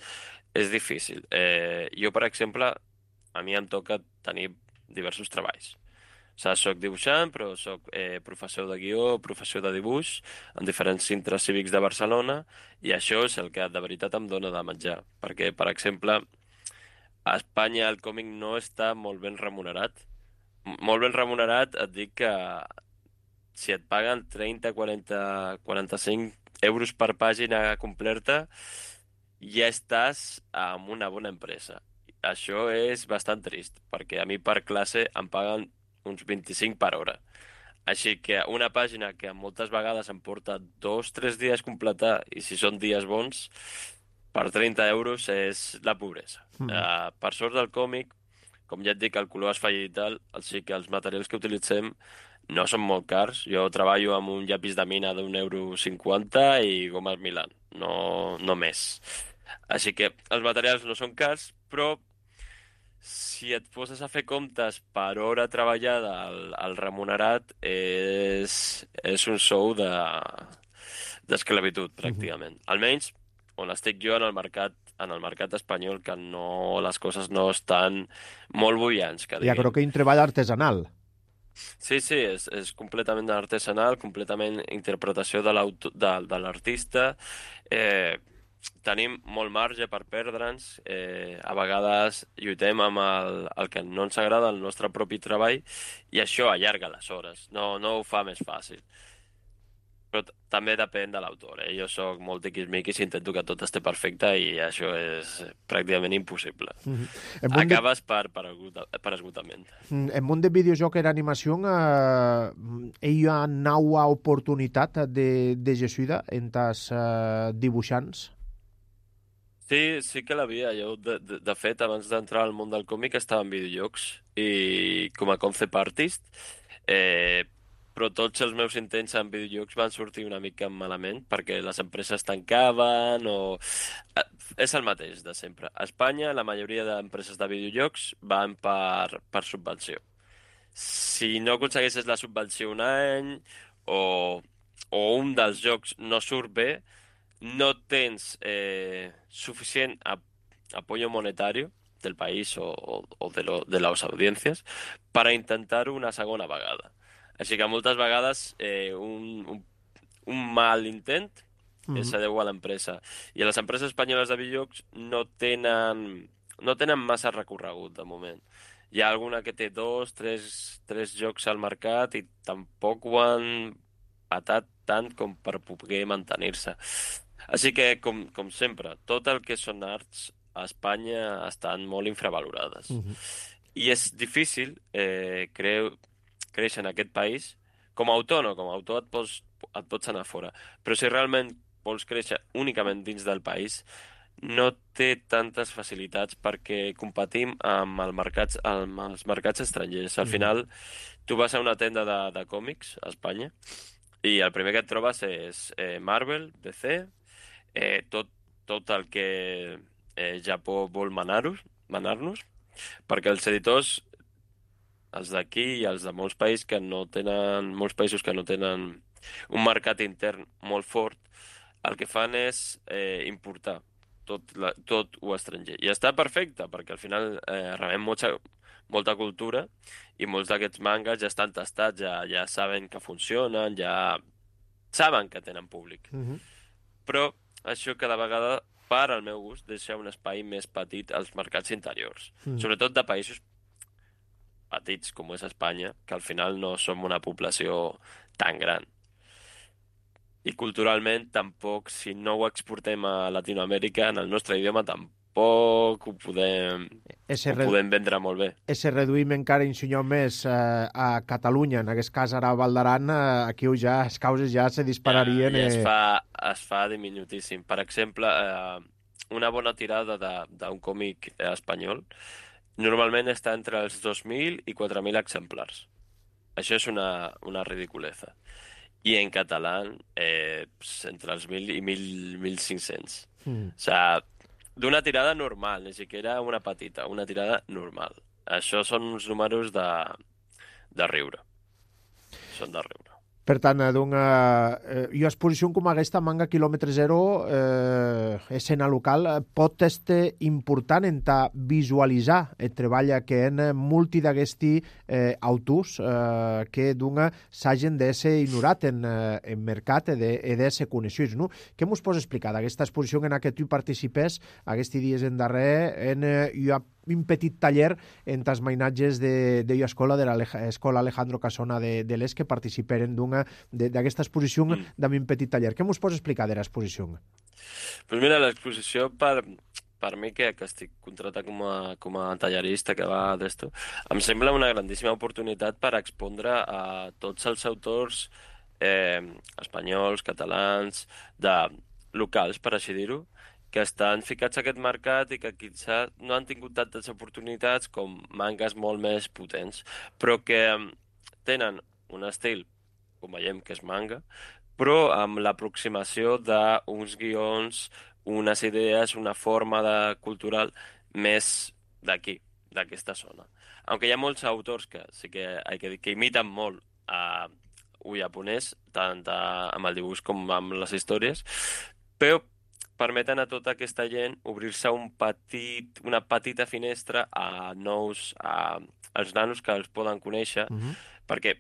és difícil. Eh, jo, per exemple, a mi em toca tenir diversos treballs. O sigui, soc dibuixant, però soc eh, professor de guió, professor de dibuix en diferents centres cívics de Barcelona, i això és el que de veritat em dona de menjar. Perquè, per exemple, a Espanya el còmic no està molt ben remunerat. M- Molt ben remunerat et dic que si et paguen trenta, quaranta, quaranta-cinc euros per pàgina completa, ja estàs amb una bona empresa. Això és bastant trist, perquè a mi per classe em paguen uns vint-i-cinc per hora. Així que una pàgina que moltes vegades em porta dos, tres dies completar, i si són dies bons, per trenta euros és la pobresa. Mm. Uh, per sort del còmic, com ja et dic, el color es fa digital, així que els materials que utilitzem no són molt cars. Jo treballo amb un llapis de mina d'un euro cinquanta i gomes Milan, no, no més. Així que els materials no són cars, però si et poses a fer comptes per hora treballada, el, el remunerat és, és un sou de, d'esclavitud, pràcticament. Almenys on estic jo en el mercat, en el mercat espanyol, que no, les coses no estan molt bullants, que Ja diguem. crec que un treball artesanal. Sí, sí, és, és completament artesanal, completament interpretació de l'auto- de, de l'artista. Eh, tenim molt marge per perdre'ns. Eh, a vegades lluitem amb el, el que no ens agrada, el nostre propi treball, i això allarga les hores, no, no ho fa més fàcil. Però t- també depèn de l'autor. Eh? Jo sóc molt tiquismiquis i intento que tot esté perfecte, i això és pràcticament impossible. Mhm. En món de, Acabes per, per, esgota- per esgotament. en món de videojoc era animació, eh, hi ha naua oportunitat de, de Jesuïda en tas eh, dibuixants. Sí, sí que l'havia. Jo, de, de, de fet, abans d'entrar al món del còmic estava en videojocs i com a concept artist, eh, però tots els meus intents en videojocs van sortir una mica malament perquè les empreses tancaven o... Eh, És el mateix de sempre. A Espanya, la majoria d'empreses de videojocs van per, per subvenció. Si no aconsegueixes la subvenció un any o, o un dels jocs no surt bé, no tens eh, suficient ap apoyo monetari del país o, o, o de, lo, de les audiències per a intentar-ho una segona vegada. Així que moltes vegades eh, un, un, un mal intent Mhm. es deu a l'empresa. I les empreses espanyoles de videojocs no tenen, no tenen massa recorregut, de moment. Hi ha alguna que té dos, tres, tres jocs al mercat i tampoc ho han patat tant com per poder mantenir-se. Així que, com, com sempre, tot el que són arts a Espanya estan molt infravalorades. Mhm. I és difícil eh, creu, créixer en aquest país. Com a autònom, com a autor et pots, et pots anar fora. Però si realment vols créixer únicament dins del país, no té tantes facilitats perquè competim amb, el mercats, amb els mercats estrangers. Al Mhm. final, tu vas a una tenda de, de còmics a Espanya i el primer que et trobes és eh, Marvel, D C, eh, tot, tot el que eh, Japó vol manar-nos, manar-nos, perquè els editors, els d'aquí i els de molts països que no tenen, molts països que no tenen un mercat intern molt fort, el que fan és eh, importar tot, la, tot ho estranger. I està perfecte, perquè al final eh, rebem molta, molta cultura i molts d'aquests mangas ja estan tastats, ja, ja saben que funcionen, ja saben que tenen públic. Mhm. Però això cada vegada, per al meu gust, deixa un espai més petit als mercats interiors, Mhm. sobretot de països petits com és Espanya, que al final no som una població tan gran. I culturalment tampoc, si no ho exportem a Latinoamèrica, en el nostre idioma tampoc ho podem, Ese, ho re podem vendre molt bé. ese reduïm encara un senyor més eh, a Catalunya, en aquest cas ara a Val d'Aran, eh, aquí ja les causes ja se dispararien. Ja, ja es, eh, fa, es fa diminutíssim. Per exemple, eh, una bona tirada de- d'un còmic eh, espanyol normalment està entre els dos mil i quatre mil exemplars. Això és una, una ridiculesa. I en català, eh, pues, entre els mil i mil, mil cinc-cents. Mm. O sea, d'una tirada normal, ni siquiera una petita, una tirada normal. Això són uns números de, de riure. Són de riure. Per tant, eh, d'una eh, jo exposició com aquesta, Manga Quilòmetre Zero, eh, escena local, eh, pot estar important en ta visualitzar el treball que en multi d'aquesti eh, autors eh, que d'una s'hagin d'ésser ignorat en, eh, en mercat i d'ésser coneixuts. No? Què mos pots explicar d'aquesta exposició en què tu participes aquests dies en darrer en eh, jo un petit taller en tas mainatges de, de escola, de l'escola Alejandro Casona de, de l'Es, que participeren d'una d'aquesta exposició Mm. d'un un petit taller. Què mos pots explicar de l'exposició? Pues mira, l'exposició per, per mi, que, que estic contratat com a, com a tallerista que va d'esto, em sembla una grandíssima oportunitat per expondre a tots els autors eh, espanyols, catalans, de locals, per així dir-ho, que estan ficats a aquest mercat i que quizá no han tingut tantes oportunitats com mangas molt més potents, però que em, tenen un estil, com veiem que és manga, però amb l'aproximació d'uns guions, unes idees, una forma de cultural més d'aquí, d'aquesta zona. Aunque hi ha molts autors que sí que, hay que, dir, que imiten molt a ho japonès, tant a, amb el dibuix com amb les històries, però permeten a tota aquesta gent obrir-se un petit, una petita finestra a nous, a, als nanos que els poden conèixer, Uh -huh. perquè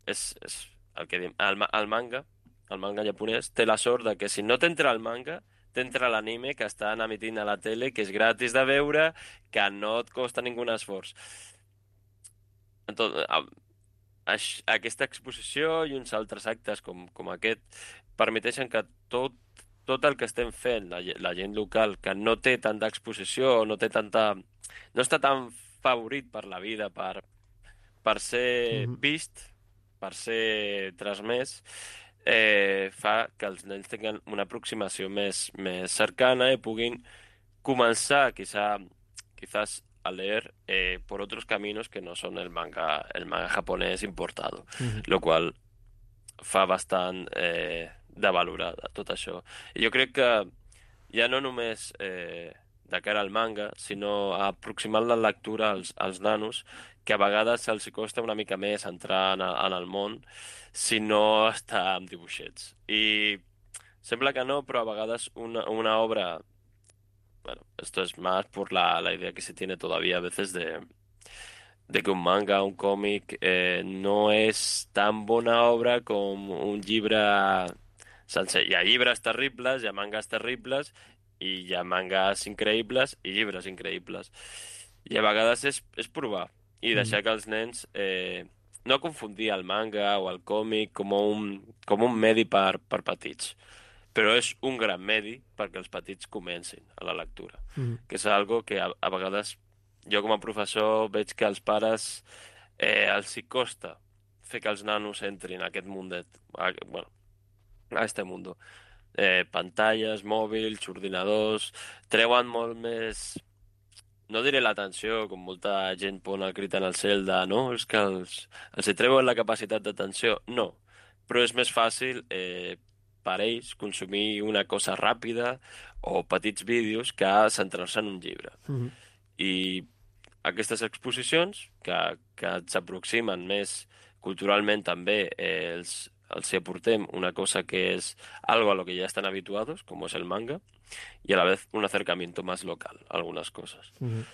és, és el que diem, el, ma- el manga, el manga japonès, té la sort de que si no t'entra el manga, t'entra l'anime que estan emitint a la tele, que és gratis de veure, que no et costa ningú esforç. Entonces, aix- aquesta exposició i uns altres actes com, com aquest permeteixen que tot, tot el que estem fent, la, ge- la gent local, que no té tanta exposició, no té tanta... no està tan favorit per la vida, per, per ser Mhm. vist, per ser transmès, eh, fa que els nens tinguin una aproximació més, més cercana i puguin comenzar quizá, quizás a leer eh, por otros caminos que no son el manga, el manga japonés importado, Mhm. lo qual fa bastant eh, de valorar tot això. I jo crec que ja no només eh, de cara al manga, sinó a aproximar la lectura als, als nanos, que a vegades se'ls costa una mica més entrar en, en el món si no està amb dibuixets. I sembla que no, però a vegades una, una obra bueno, esto es más por la, la idea que se tiene todavía a veces de, de que un manga, un còmic, eh, no és tan bona obra com un llibre sencer. Hi ha llibres terribles, hi ha mangas terribles, i hi ha mangas increïbles i llibres increïbles. I a vegades és, és provar i Mm. deixar que els nens eh, no confundir el manga o el còmic com un, com un medi per, per petits, però és un gran medi perquè els petits comencin a la lectura, Mm. que és algo que a, a vegades jo com a professor veig que als pares eh, els hi costa fer que els nanos entrin a aquest mundet, a, bueno, a este mundo. Eh, pantalles, mòbils, ordinadors, treuen molt més, no diré l'atenció, com molta gent pon el crit en el cel de no, és que els, els hi treuen la capacitat d'atenció. No, però és més fàcil eh, per ells consumir una cosa ràpida o petits vídeos que centrar-se en un llibre. Mm. I aquestes exposicions, que, que s'aproximen més culturalment també, eh, els, els hi aportem una cosa que és algo a lo que ya están habituados, como es el manga, y a la vez un acercamiento más local a algunas cosas. Mm.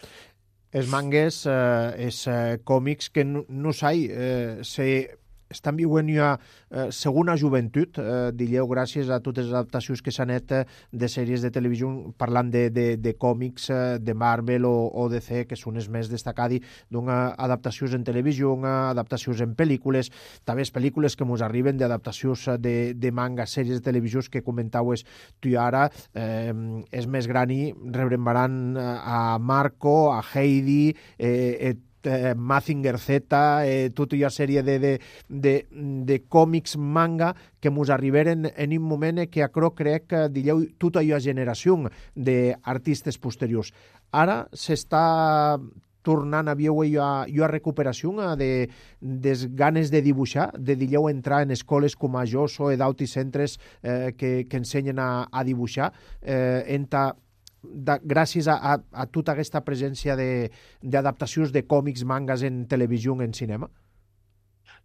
Els mangues, eh, els eh, còmics que no, no sai, eh, se estan viuen ja eh, segona joventut, eh, dilleu, gràcies a totes les adaptacions que s'han fet eh, de sèries de televisió, parlant de, de, de còmics eh, de Marvel o, o D C, que són els més destacats, d'una adaptacions en televisió, adaptacions en pel·lícules, també les pel·lícules que ens arriben d'adaptacions de, de manga, sèries de televisió que comentaues tu i ara, eh, és més gran i rebrembaran a Marco, a Heidi, eh, eh, Eh, Mazinger Z, eh, tota una sèrie de, de, de, de còmics manga que ens arriberen en un moment que acro crec que dilleu tota una generació d'artistes posteriors. Ara s'està tornant a veure una recuperació de, des ganes de dibuixar, de dilleu entrar en escoles com a Joso o d'altres centres eh, que, que ensenyen a, a dibuixar, eh, enta Da, gràcies a, a, a tota aquesta presència d'adaptacions de, de còmics, mangas en televisió, en cinema?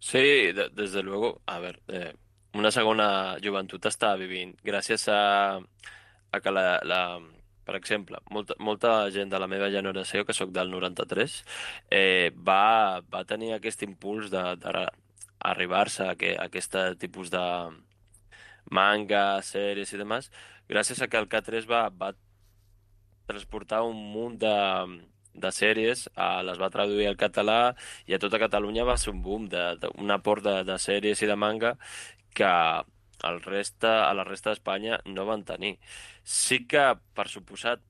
Sí, de- desde luego. A ver, eh, una segona joventut està vivint gràcies a, a que la, la, per exemple, molta, molta gent de la meva generació, que sóc del noranta-tres, eh, va, va tenir aquest impuls de, de arribar-se a, que, a aquest tipus de manga, sèries i demás, gràcies a que el K tres va, va transportar un munt de, de sèries, eh, les va traduir al català i a tota Catalunya va ser un boom, de, de, un aport de, de sèries i de manga que el resta, a la resta d'Espanya no van tenir. Sí que, per suposat,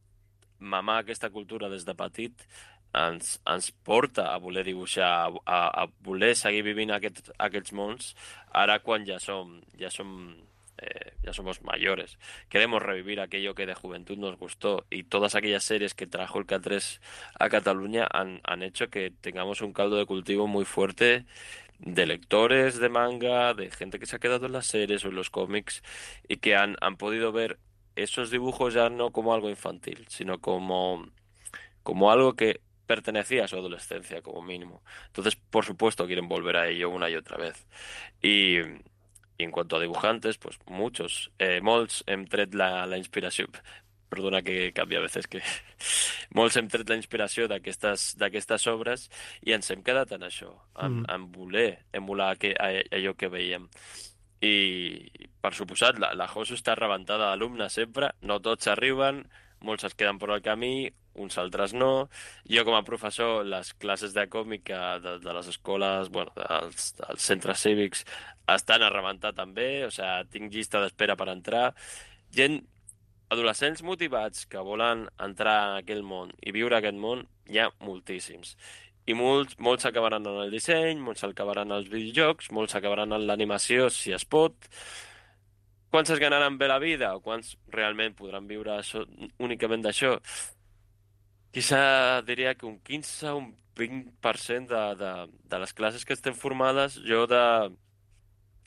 mamar aquesta cultura des de petit ens, ens porta a voler dibuixar, a, a voler seguir vivint aquest, aquests mons, ara quan ja som, ja som eh, ya somos mayores. Queremos revivir aquello que de juventud nos gustó y todas aquellas series que trajo el K tres a Cataluña han, han hecho que tengamos un caldo de cultivo muy fuerte de lectores de manga, de gente que se ha quedado en las series o en los cómics y que han, han podido ver esos dibujos ya no como algo infantil, sino como, como algo que pertenecía a su adolescencia como mínimo. Entonces, por supuesto, quieren volver a ello una y otra vez. Y, y en cuanto a dibujantes, pues muchos. Eh, molts hem tret la, la inspiració. Perdona que canvia a veces que... molts hem tret la inspiració d'aquestes d'aquestes obres i ens hem quedat en això, en, Mm. en voler emular que, a- allò que veiem. I, per suposat, la, la Josu està rebentada d'alumnes sempre, no tots arriben, molts es queden per al camí, uns altres no. Jo, com a professor, les classes de còmica de, de les escoles, bueno, dels, dels centres cívics, estan a rebentar també, o sigui, tinc llista d'espera per entrar. Gent, adolescents motivats que volen entrar en aquell món i viure aquest món, hi ha moltíssims. I molts, molts acabaran en el disseny, molts acabaran als videojocs, molts acabaran en l'animació, si es pot. Quants es ganaran bé la vida o quants realment podran viure això, únicament d'això? Quizá diria que un quinze o un vint per cent de, de, de les classes que estem formades, jo de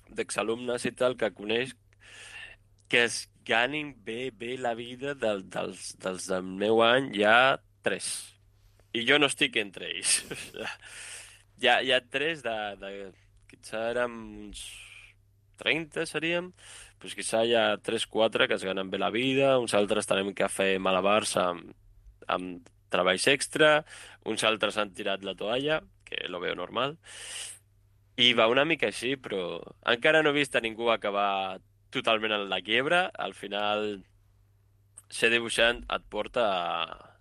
d'exalumnes i tal que coneix, que es ganin bé, bé la vida del, dels, dels del meu any, hi ha tres. I jo no estic entre ells. hi, ha, hi ha tres de, de... Quizá érem uns trenta, seríem. pues quizà hi ha tres quatre que es ganen bé la vida, uns altres tenim que fer malabars amb, amb treballs extra, uns altres han tirat la toalla, que lo veo normal, i va una mica així, però encara no he vist a ningú acabar totalment en la quiebra. Al final, ser dibuixant et porta a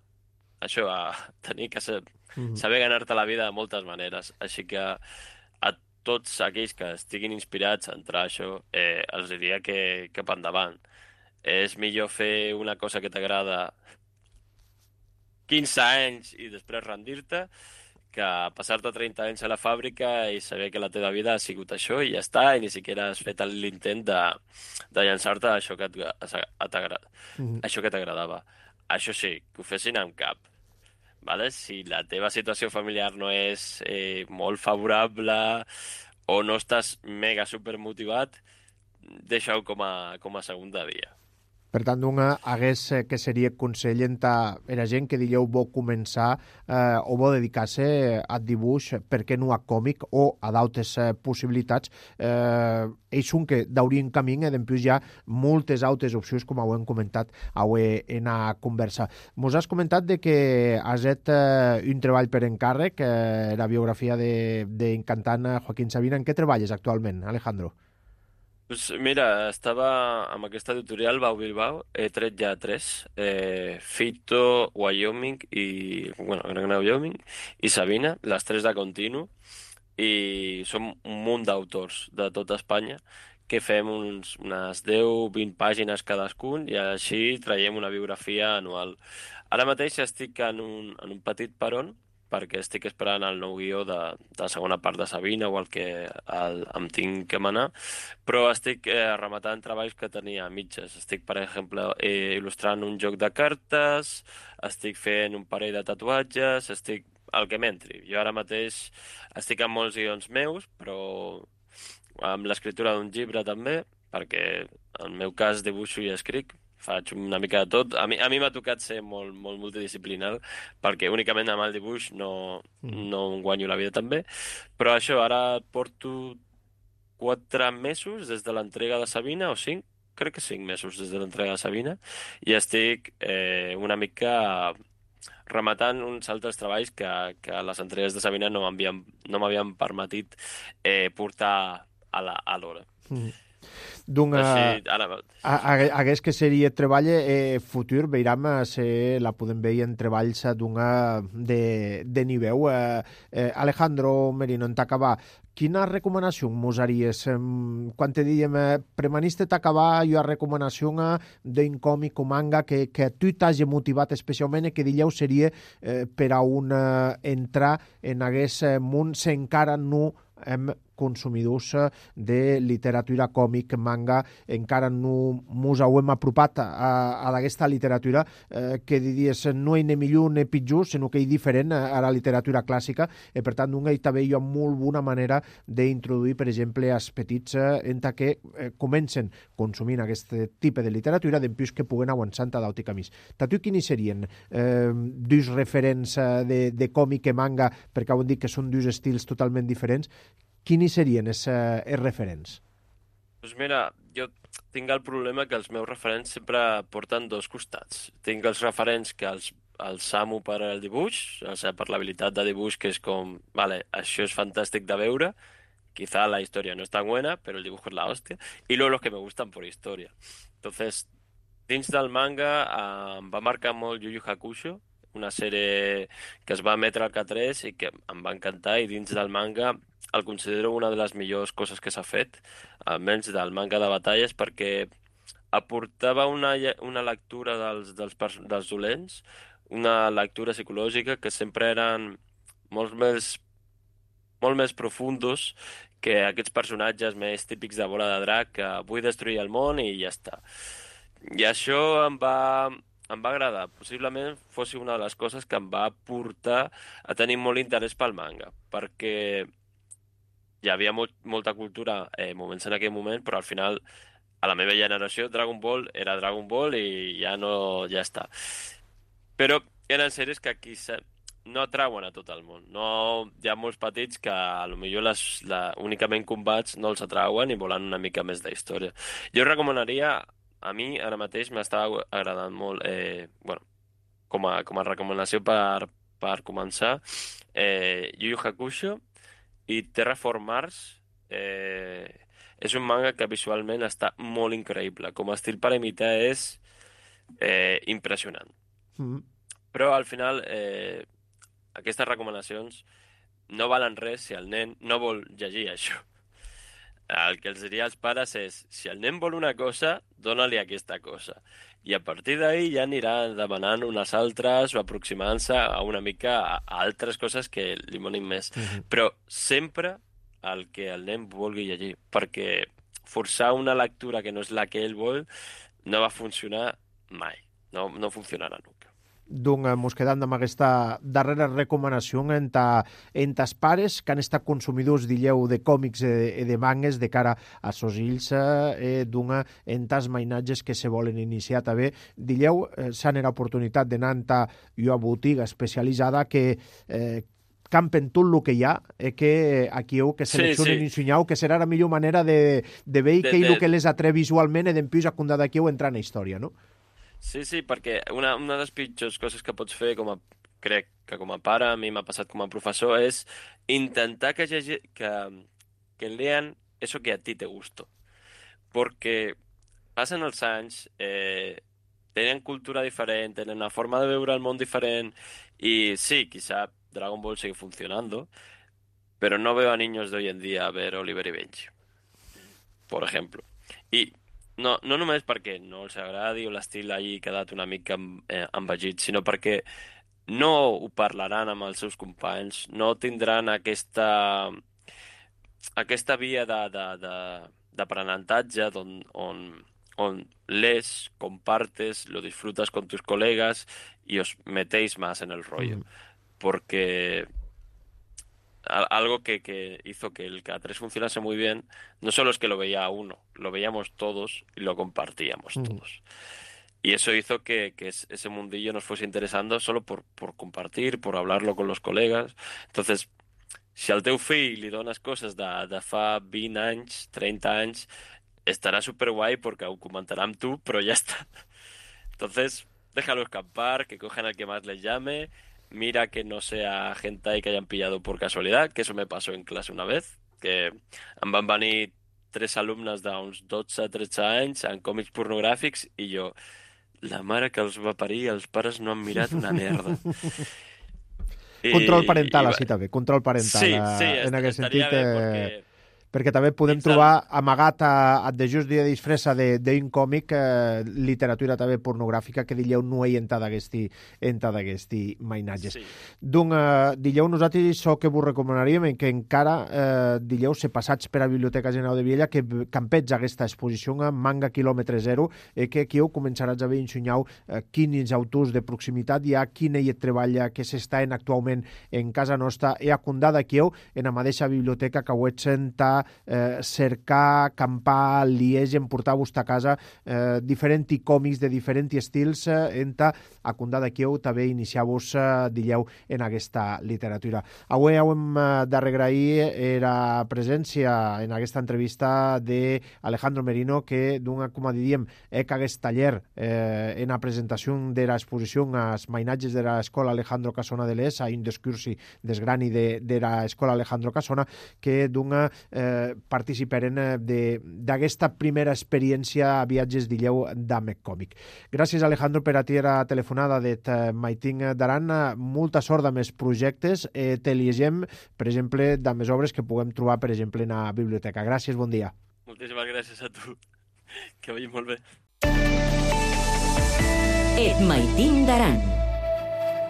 això, a tenir que ser, Mhm. saber ganar-te la vida de moltes maneres. Així que a tots aquells que estiguin inspirats a entrar a això, eh, els diria que cap endavant. És millor fer una cosa que t'agrada quinze anys i després rendir-te que passar-te trenta anys a la fàbrica i saber que la teva vida ha sigut això i ja està, i ni siquiera has fet l'intent de, de llançar-te a això que et- a t'agra- Mhm. això que t'agradava. Això sí, que ho fessin amb cap. Vale? Si la teva situació familiar no és eh, molt favorable o no estàs mega super motivat, deixa-ho com a, com a segunda via. Per tant, una hagués eh, que seria consell enta era gent que dilleu vol començar eh, o vol dedicar-se a dibuix, per què no a còmic o a d'altres eh, possibilitats. Eh, ells són que d'aurien camí i després hi ha moltes altres opcions, com ho hem comentat avui en a conversa. Mos has comentat de que has fet eh, un treball per encàrrec, eh, la biografia d'encantant Joaquín Sabina. En què treballes actualment, Alejandro? Pues mira, estava amb aquesta editorial Bau Bilbao, he tret ja tres, eh, Fito, Wyoming i, bueno, Gran Wyoming i Sabina, les tres de continu, i som un munt d'autors de tota Espanya que fem uns, unes deu vint pàgines cadascun i així traiem una biografia anual. Ara mateix estic en un, en un petit peron perquè estic esperant el nou guió de, de la segona part de Sabina o el que el, em tinc que manar, però estic eh, rematant treballs que tenia a mitges. Estic, per exemple, eh, il·lustrant un joc de cartes, estic fent un parell de tatuatges, estic el que m'entri. Jo ara mateix estic amb molts guions meus, però amb l'escriptura d'un llibre també, perquè en el meu cas dibuixo i escric, faig una mica de tot. A mi a mi m'ha tocat ser molt, molt multidisciplinar, perquè únicament amb el dibuix no, no em guanyo la vida també. Però això, ara porto quatre mesos des de l'entrega de Sabina, o cinc, crec que cinc mesos des de l'entrega de Sabina, i estic eh, una mica rematant uns altres treballs que, que les entregues de Sabina no m'havien no m'havien permetit eh, portar a la- a l'hora. Mm. D'un, Així, ara... A- a- Hagués que seria treball eh, futur, veiram eh, se la podem veure en treballs eh, d'una de, de nivell. Eh, eh, Alejandro Merino, en t'acabar, quina recomanació mos haries? Eh, quan te diem eh, premaniste t'acabar, jo a recomanació eh, d'un còmic o manga que, que tu t'hagi motivat especialment i que dilleu seria eh, per a un eh, entrar en aguest eh, món se encara no hem consumidors eh, de literatura còmic, manga, encara no mos hem apropat a, a aquesta literatura eh, que diries no hi ha millor ni pitjor, sinó que hi diferent a la literatura clàssica, i per tant una hi també hi ha molt bona manera d'introduir, per exemple, als petits eh, en que eh, comencen consumint aquest tipus de literatura després que puguen avançar a d'auti camins. Tatu, quins serien eh, dos referents eh, de, de còmic i manga, perquè ho hem dit que són dos estils totalment diferents, quins serien els, eh, els referents? Doncs mira, jo tinc el problema que els meus referents sempre porten dos costats. Tinc els referents que els, els amo per al dibuix, o sigui, per l'habilitat de dibuix, que és com, vale, això és fantàstic de veure, quizá la historia no es tan buena, pero el dibujo es la hostia, y luego los que me gustan por historia. Entonces, dins del manga eh, em va marcar molt Yu Yu Hakusho, una sèrie que es va emetre al K tres i que em va encantar, i dins del manga el considero una de les millors coses que s'ha fet, almenys del manga de batalles, perquè aportava una, lle- una lectura dels, dels, pers- dels dolents, una lectura psicològica que sempre eren molt més, molt més profundos que aquests personatges més típics de bola de drac, que vull destruir el món i ja està. I això em va, em va agradar. Possiblement fos una de les coses que em va portar a tenir molt interès pel manga, perquè hi havia molt, molta cultura eh, moments en aquell moment, però al final a la meva generació Dragon Ball era Dragon Ball i ja no, ja està. Però eren sèries que quizá no atrauen a tot el món. No, hi ha molts petits que potser les, la, únicament combats no els atrauen i volen una mica més d'història. Jo recomanaria, a mi ara mateix m'estava agradant molt, eh, bueno, com a, com a recomanació per, per començar, eh, Yu Yu Hakusho i Terraform Mars. Eh, és un manga que visualment està molt increïble. Com a estil per imitar és eh, impressionant. Mm. Però al final eh, aquestes recomanacions no valen res si el nen no vol llegir això. El que els diria als pares és, si el nen vol una cosa, dona-li aquesta cosa. I a partir d'ahir ja anirà demanant unes altres o aproximant-se a una mica a, a altres coses que li monin més. Mm-hmm. Però sempre el que el nen vulgui llegir, perquè forçar una lectura que no és la que ell vol no va funcionar mai. No, no funcionarà nunca. Doncs mos quedam amb aquesta darrera recomanació en ta, en tas pares que han estat consumidors, dilleu, de còmics i de mangues de cara a sos ills eh, d'una en tas mainatges que se volen iniciar també. Dilleu, eh, s'han era oportunitat d'anar en ta una botiga especialitzada que eh, campen tot el que hi ha, eh, que aquí heu que seleccionen sí, sí. i ensenyau, que serà la millor manera de, de veure de, què és el que les atreu visualment i d'empús a condar d'aquí heu entrar en la història, no? Sí, sí, perquè una, una de les pitjors coses que pots fer, com a, crec que com a pare, a mi m'ha passat com a professor, és intentar que, que, que lean eso que a ti te gusta. Perquè passen els anys, eh, tenen cultura diferent, tenen una forma de veure el món diferent, i sí, quizá Dragon Ball sigue funcionando, pero no veo a niños de hoy en día a ver Oliver y Benji, por ejemplo. I No, no només perquè no els agradi o l'estil hagi quedat una mica eh, envegit, sinó perquè no ho parlaran amb els seus companys, no tindran aquesta, aquesta via d'aprenentatge on, on, on les, compartes, lo disfrutas con tus colegas y os metéis más en el rollo. Mm. Porque algo que, que hizo que el K tres funcionase muy bien, no solo es que lo veía uno, lo veíamos todos y lo compartíamos mm. todos. Y eso hizo que, que ese mundillo nos fuese interesando solo por, por compartir, por hablarlo con los colegas. Entonces, si al teu fill li dones coses de, de fa vint anys, treinta anys, estarà superguai perquè ho comentarà amb tu, però ja està. Entonces, déjalo escapar, que cojan el que más les llame. Mira que no sea hentai que hayan pillado por casualidad, que eso me pasó en clase una vez, que em van venir tres alumnes d'uns dotze a tretze anys en còmics pornogràfics i jo, la mare que els va parir, els pares no han mirat una merda. I, control parental, i, així també, control parental. Sí, sí, en aquest sentit, bé, perquè... perquè també podem trobar amagat a, a de just dia de disfressa d'un còmic eh, literatura també pornogràfica que dilleu no hi entra d'aquesti mainatges. Sí. Doncs, eh, dilleu, nosaltres això que vos recomanaríem que encara, eh, dilleu, se passats per a Biblioteca General de Viella que campets aquesta exposició a Manga Quilòmetre Zero eh, que aquí heu començaràs a veure ensenyau eh, quins autors de proximitat hi ha, quin ell treballa, que s'està actualment en casa nostra i a condar d'aquí heu en la mateixa biblioteca que ho ets sentar Eh, cercar, campar, liegen, portar-vos a casa eh, diferents còmics de diferents estils eh, enta a condar d'aquí heu també iniciar-vos eh, dilleu en aquesta literatura. Avui hem eh, d'agrair la presència en aquesta entrevista d'Alejandro Merino que d'un, com diríem, eh, que aquest taller eh, en la presentació de l'exposició als mainatges de l'escola Alejandro Casona de l'Es, a un discursi desgrani de, de l'escola Alejandro Casona, que d'un eh, participaren d'aquesta primera experiència a viatges d'Illeu d'Amec Còmic. Gràcies, Alejandro, per a ti la telefonada de Maiting d'Aran. Molta sort amb els projectes. Eh, te llegem, per exemple, amb les obres que puguem trobar, per exemple, en la biblioteca. Gràcies, bon dia. Moltíssimes gràcies a tu. Que vagi molt bé. Et Maiting d'Aran.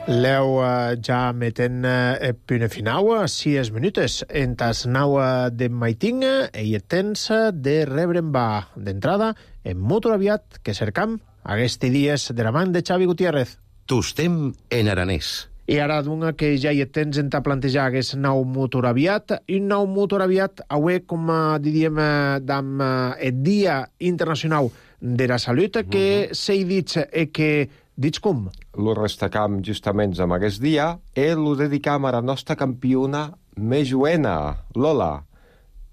Leu uh, ja metent uh, punt final a sis minutes en tas nau de Maiting i temps de rebre va d'entrada en molt aviat que cercam aquests dies de la mà de Xavi Gutiérrez. Tostem en aranès. I ara d'una que ja hi tens en ta plantejar aquest nou motor aviat, i un nou motor aviat, avui, com diríem, d'am el Dia Internacional de la Salut, que mm-hmm. s'ha dit que Dits com? Lo restacam justament amb aquest dia e lo dedicam a la nostra campiona més joena, Lola.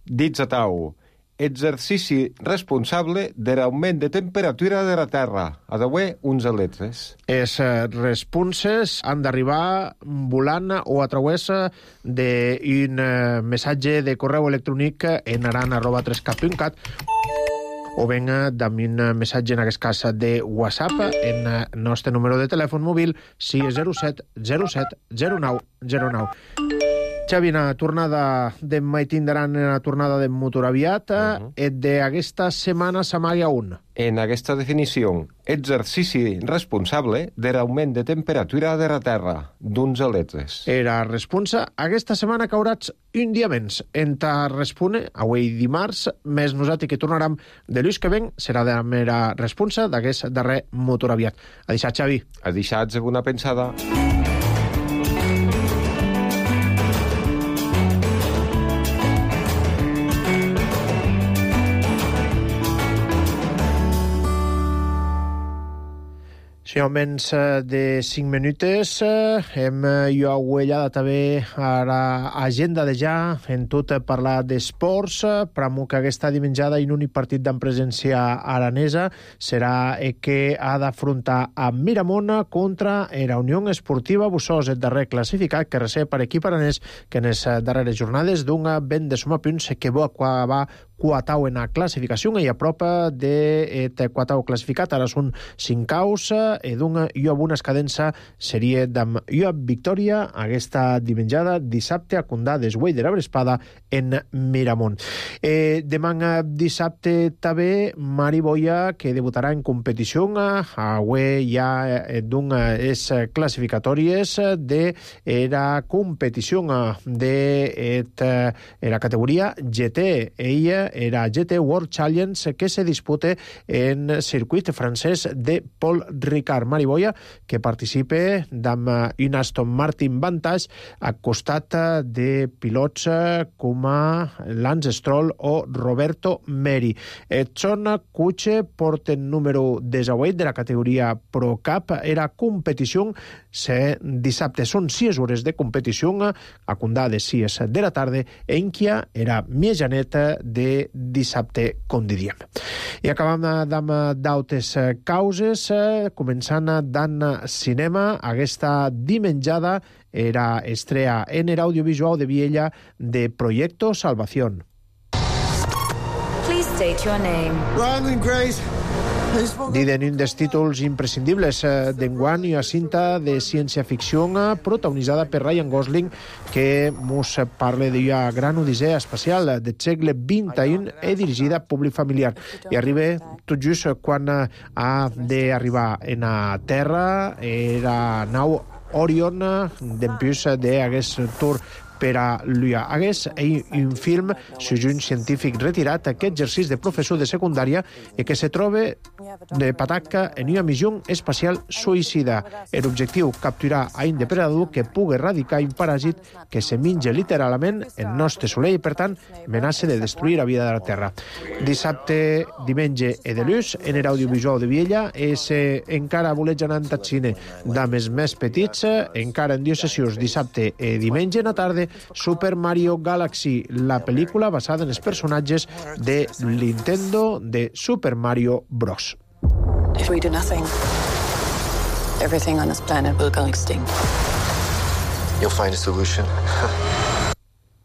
Dits a tau, exercici responsable de l'augment de temperatura de la Terra. A d'avui, uns aletres. Es responses han d'arribar volant o a través d'un missatge de correu electrònic en aran arroba tres cap punt cat o ben amb un missatge, en aquest cas, de WhatsApp en el nostre número de telèfon mòbil sis zero set zero set zero nou zero nou. Xavi, en la tornada de mai tindran en la tornada de motor aviat, uh-huh. et d'aquesta setmana s'amaga un. En aquesta definició, exercici responsable de l'augment de temperatura de la Terra, d'uns aletres. Era responsa, aquesta setmana caurats un dia menys. Enta respone, avui dimarts, més nosaltres que tornarem de l'ús que ven, serà de la mera responsa d'aquest darrer motor aviat. A deixar, Xavi. A deixar, una pensada. Si almenys de cinc minutes hem jo aguellada també a l'agenda de ja en tot parlar d'esports, però que aquesta dimenjada en un partit d'en presència aranesa serà que ha d'afrontar a Miramont contra la Unió Esportiva Bussos, el darrer classificat que recep per equip aranès que en les darreres jornades d'un vent de suma punts que va acabar quatau en la classificació i a prop de quatau classificat. Ara són cinc caus i d'un i amb una escadença seria d'am i amb victòria aquesta dimenjada dissabte a Condà d'Esguell de la Brespada en Miramont. Eh, demà dissabte també Mari Boia, que debutarà en competició avui ja d'un és classificatòries de la competició de la categoria G T. Ella era G T World Challenge que se dispute en circuit francès de Paul Ricard. Mari Boia, que participa amb un Aston Martin Vantage a costat de pilots com Lance Stroll o Roberto Meri. Edson Kuche porten número divuit de la categoria Pro Cup. Era competició, se dissabte són sis hores de competició a Condà de sis de la tarda, en què era mitjaneta de dissabte, com diríem. I acabam amb d'altres causes, començant d'en cinema. Aquesta dimenjada era estrella en el audiovisual de Viella de Proyecto Salvación. Please state your name. Ronald Grace. Diden un dels títols imprescindibles d'enguany i a cinta de ciència-ficció protagonitzada per Ryan Gosling, que mos parla d'una gran odissea espacial del segle vint i u i dirigida a públic familiar. I arriba tot just quan ha d'arribar en la Terra la nau Orion d'empús d'aquest tour per a l'U A. Hagués un film sobre un científic retirat que exercís de professor de secundària i que se troba de pataca en una missió espacial suïcida. L'objectiu, capturar a un depredador que pugui erradicar un paràsit que se menja literalment el nostre soleil i, per tant, amenaça de destruir la vida de la Terra. Dissabte, diumenge i de l'ús, en l'audiovisual de Viella, és encara voleig anar al cine d'ames més petits, encara en dues sessions, dissabte i diumenge a la tarda, Super Mario Galaxy, la pel·lícula basada en els personatges de Nintendo de Super Mario Bros. If we do nothing, everything on this planet will go extinct. You'll find a solution.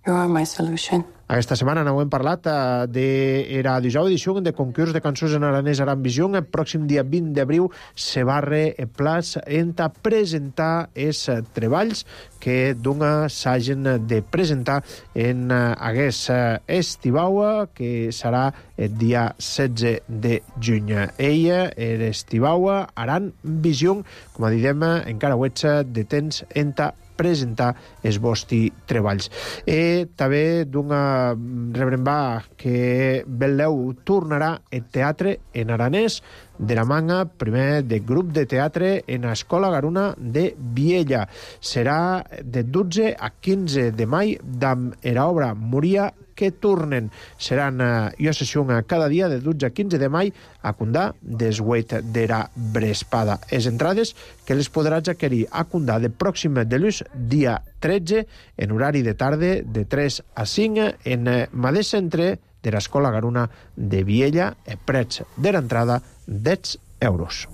You are my solution. Aquesta setmana n'ho hem parlat de la dijous edició de concurs de cançons en aranès Aran Visió. El pròxim dia vint d'abril se barre el plaç en a presentar els treballs que d'una s'hagin de presentar en aquest estivau, que serà el dia setze de juny. Ella, l'estivau Aran Visió, com a didem, encara ho ets de temps en a presentar els vostres treballs. I també d'una rebrembar que Belleu tornarà el teatre en aranès de la manga, primer de grup de teatre en l'Escola Garuna de Viella. Serà de dotze a quinze de maig amb l'obra Moria que tornen. Seran uh, ua sessió cada dia de dotze a quinze de mai a Condà des huit d'era Brespada. Es entrades que les podràs adquirir a Condà de pròxim de l'ús dia tretze en horari de tarda de tres a cinc en mateix centre de l'Escola Garuna de Viella, e prets de l'entrada deu euros.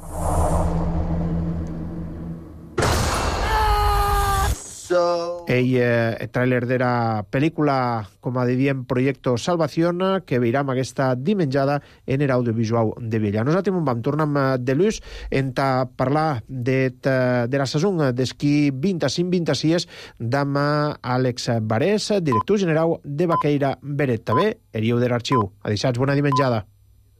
El eh, tràiler de la pel·lícula, com a diem, Proyecto Salvación, que veiram aquesta dimenjada en l'audiovisual de Viella. Nosaltres vam tornar de l'ús en a parlar de, de la saison d'esquí vint-i-cinc vint-i-sis d'am Àlex Barés, director general de Vaqueira Beret. També, heriu de l'arxiu. Adissats, bona dimenjada.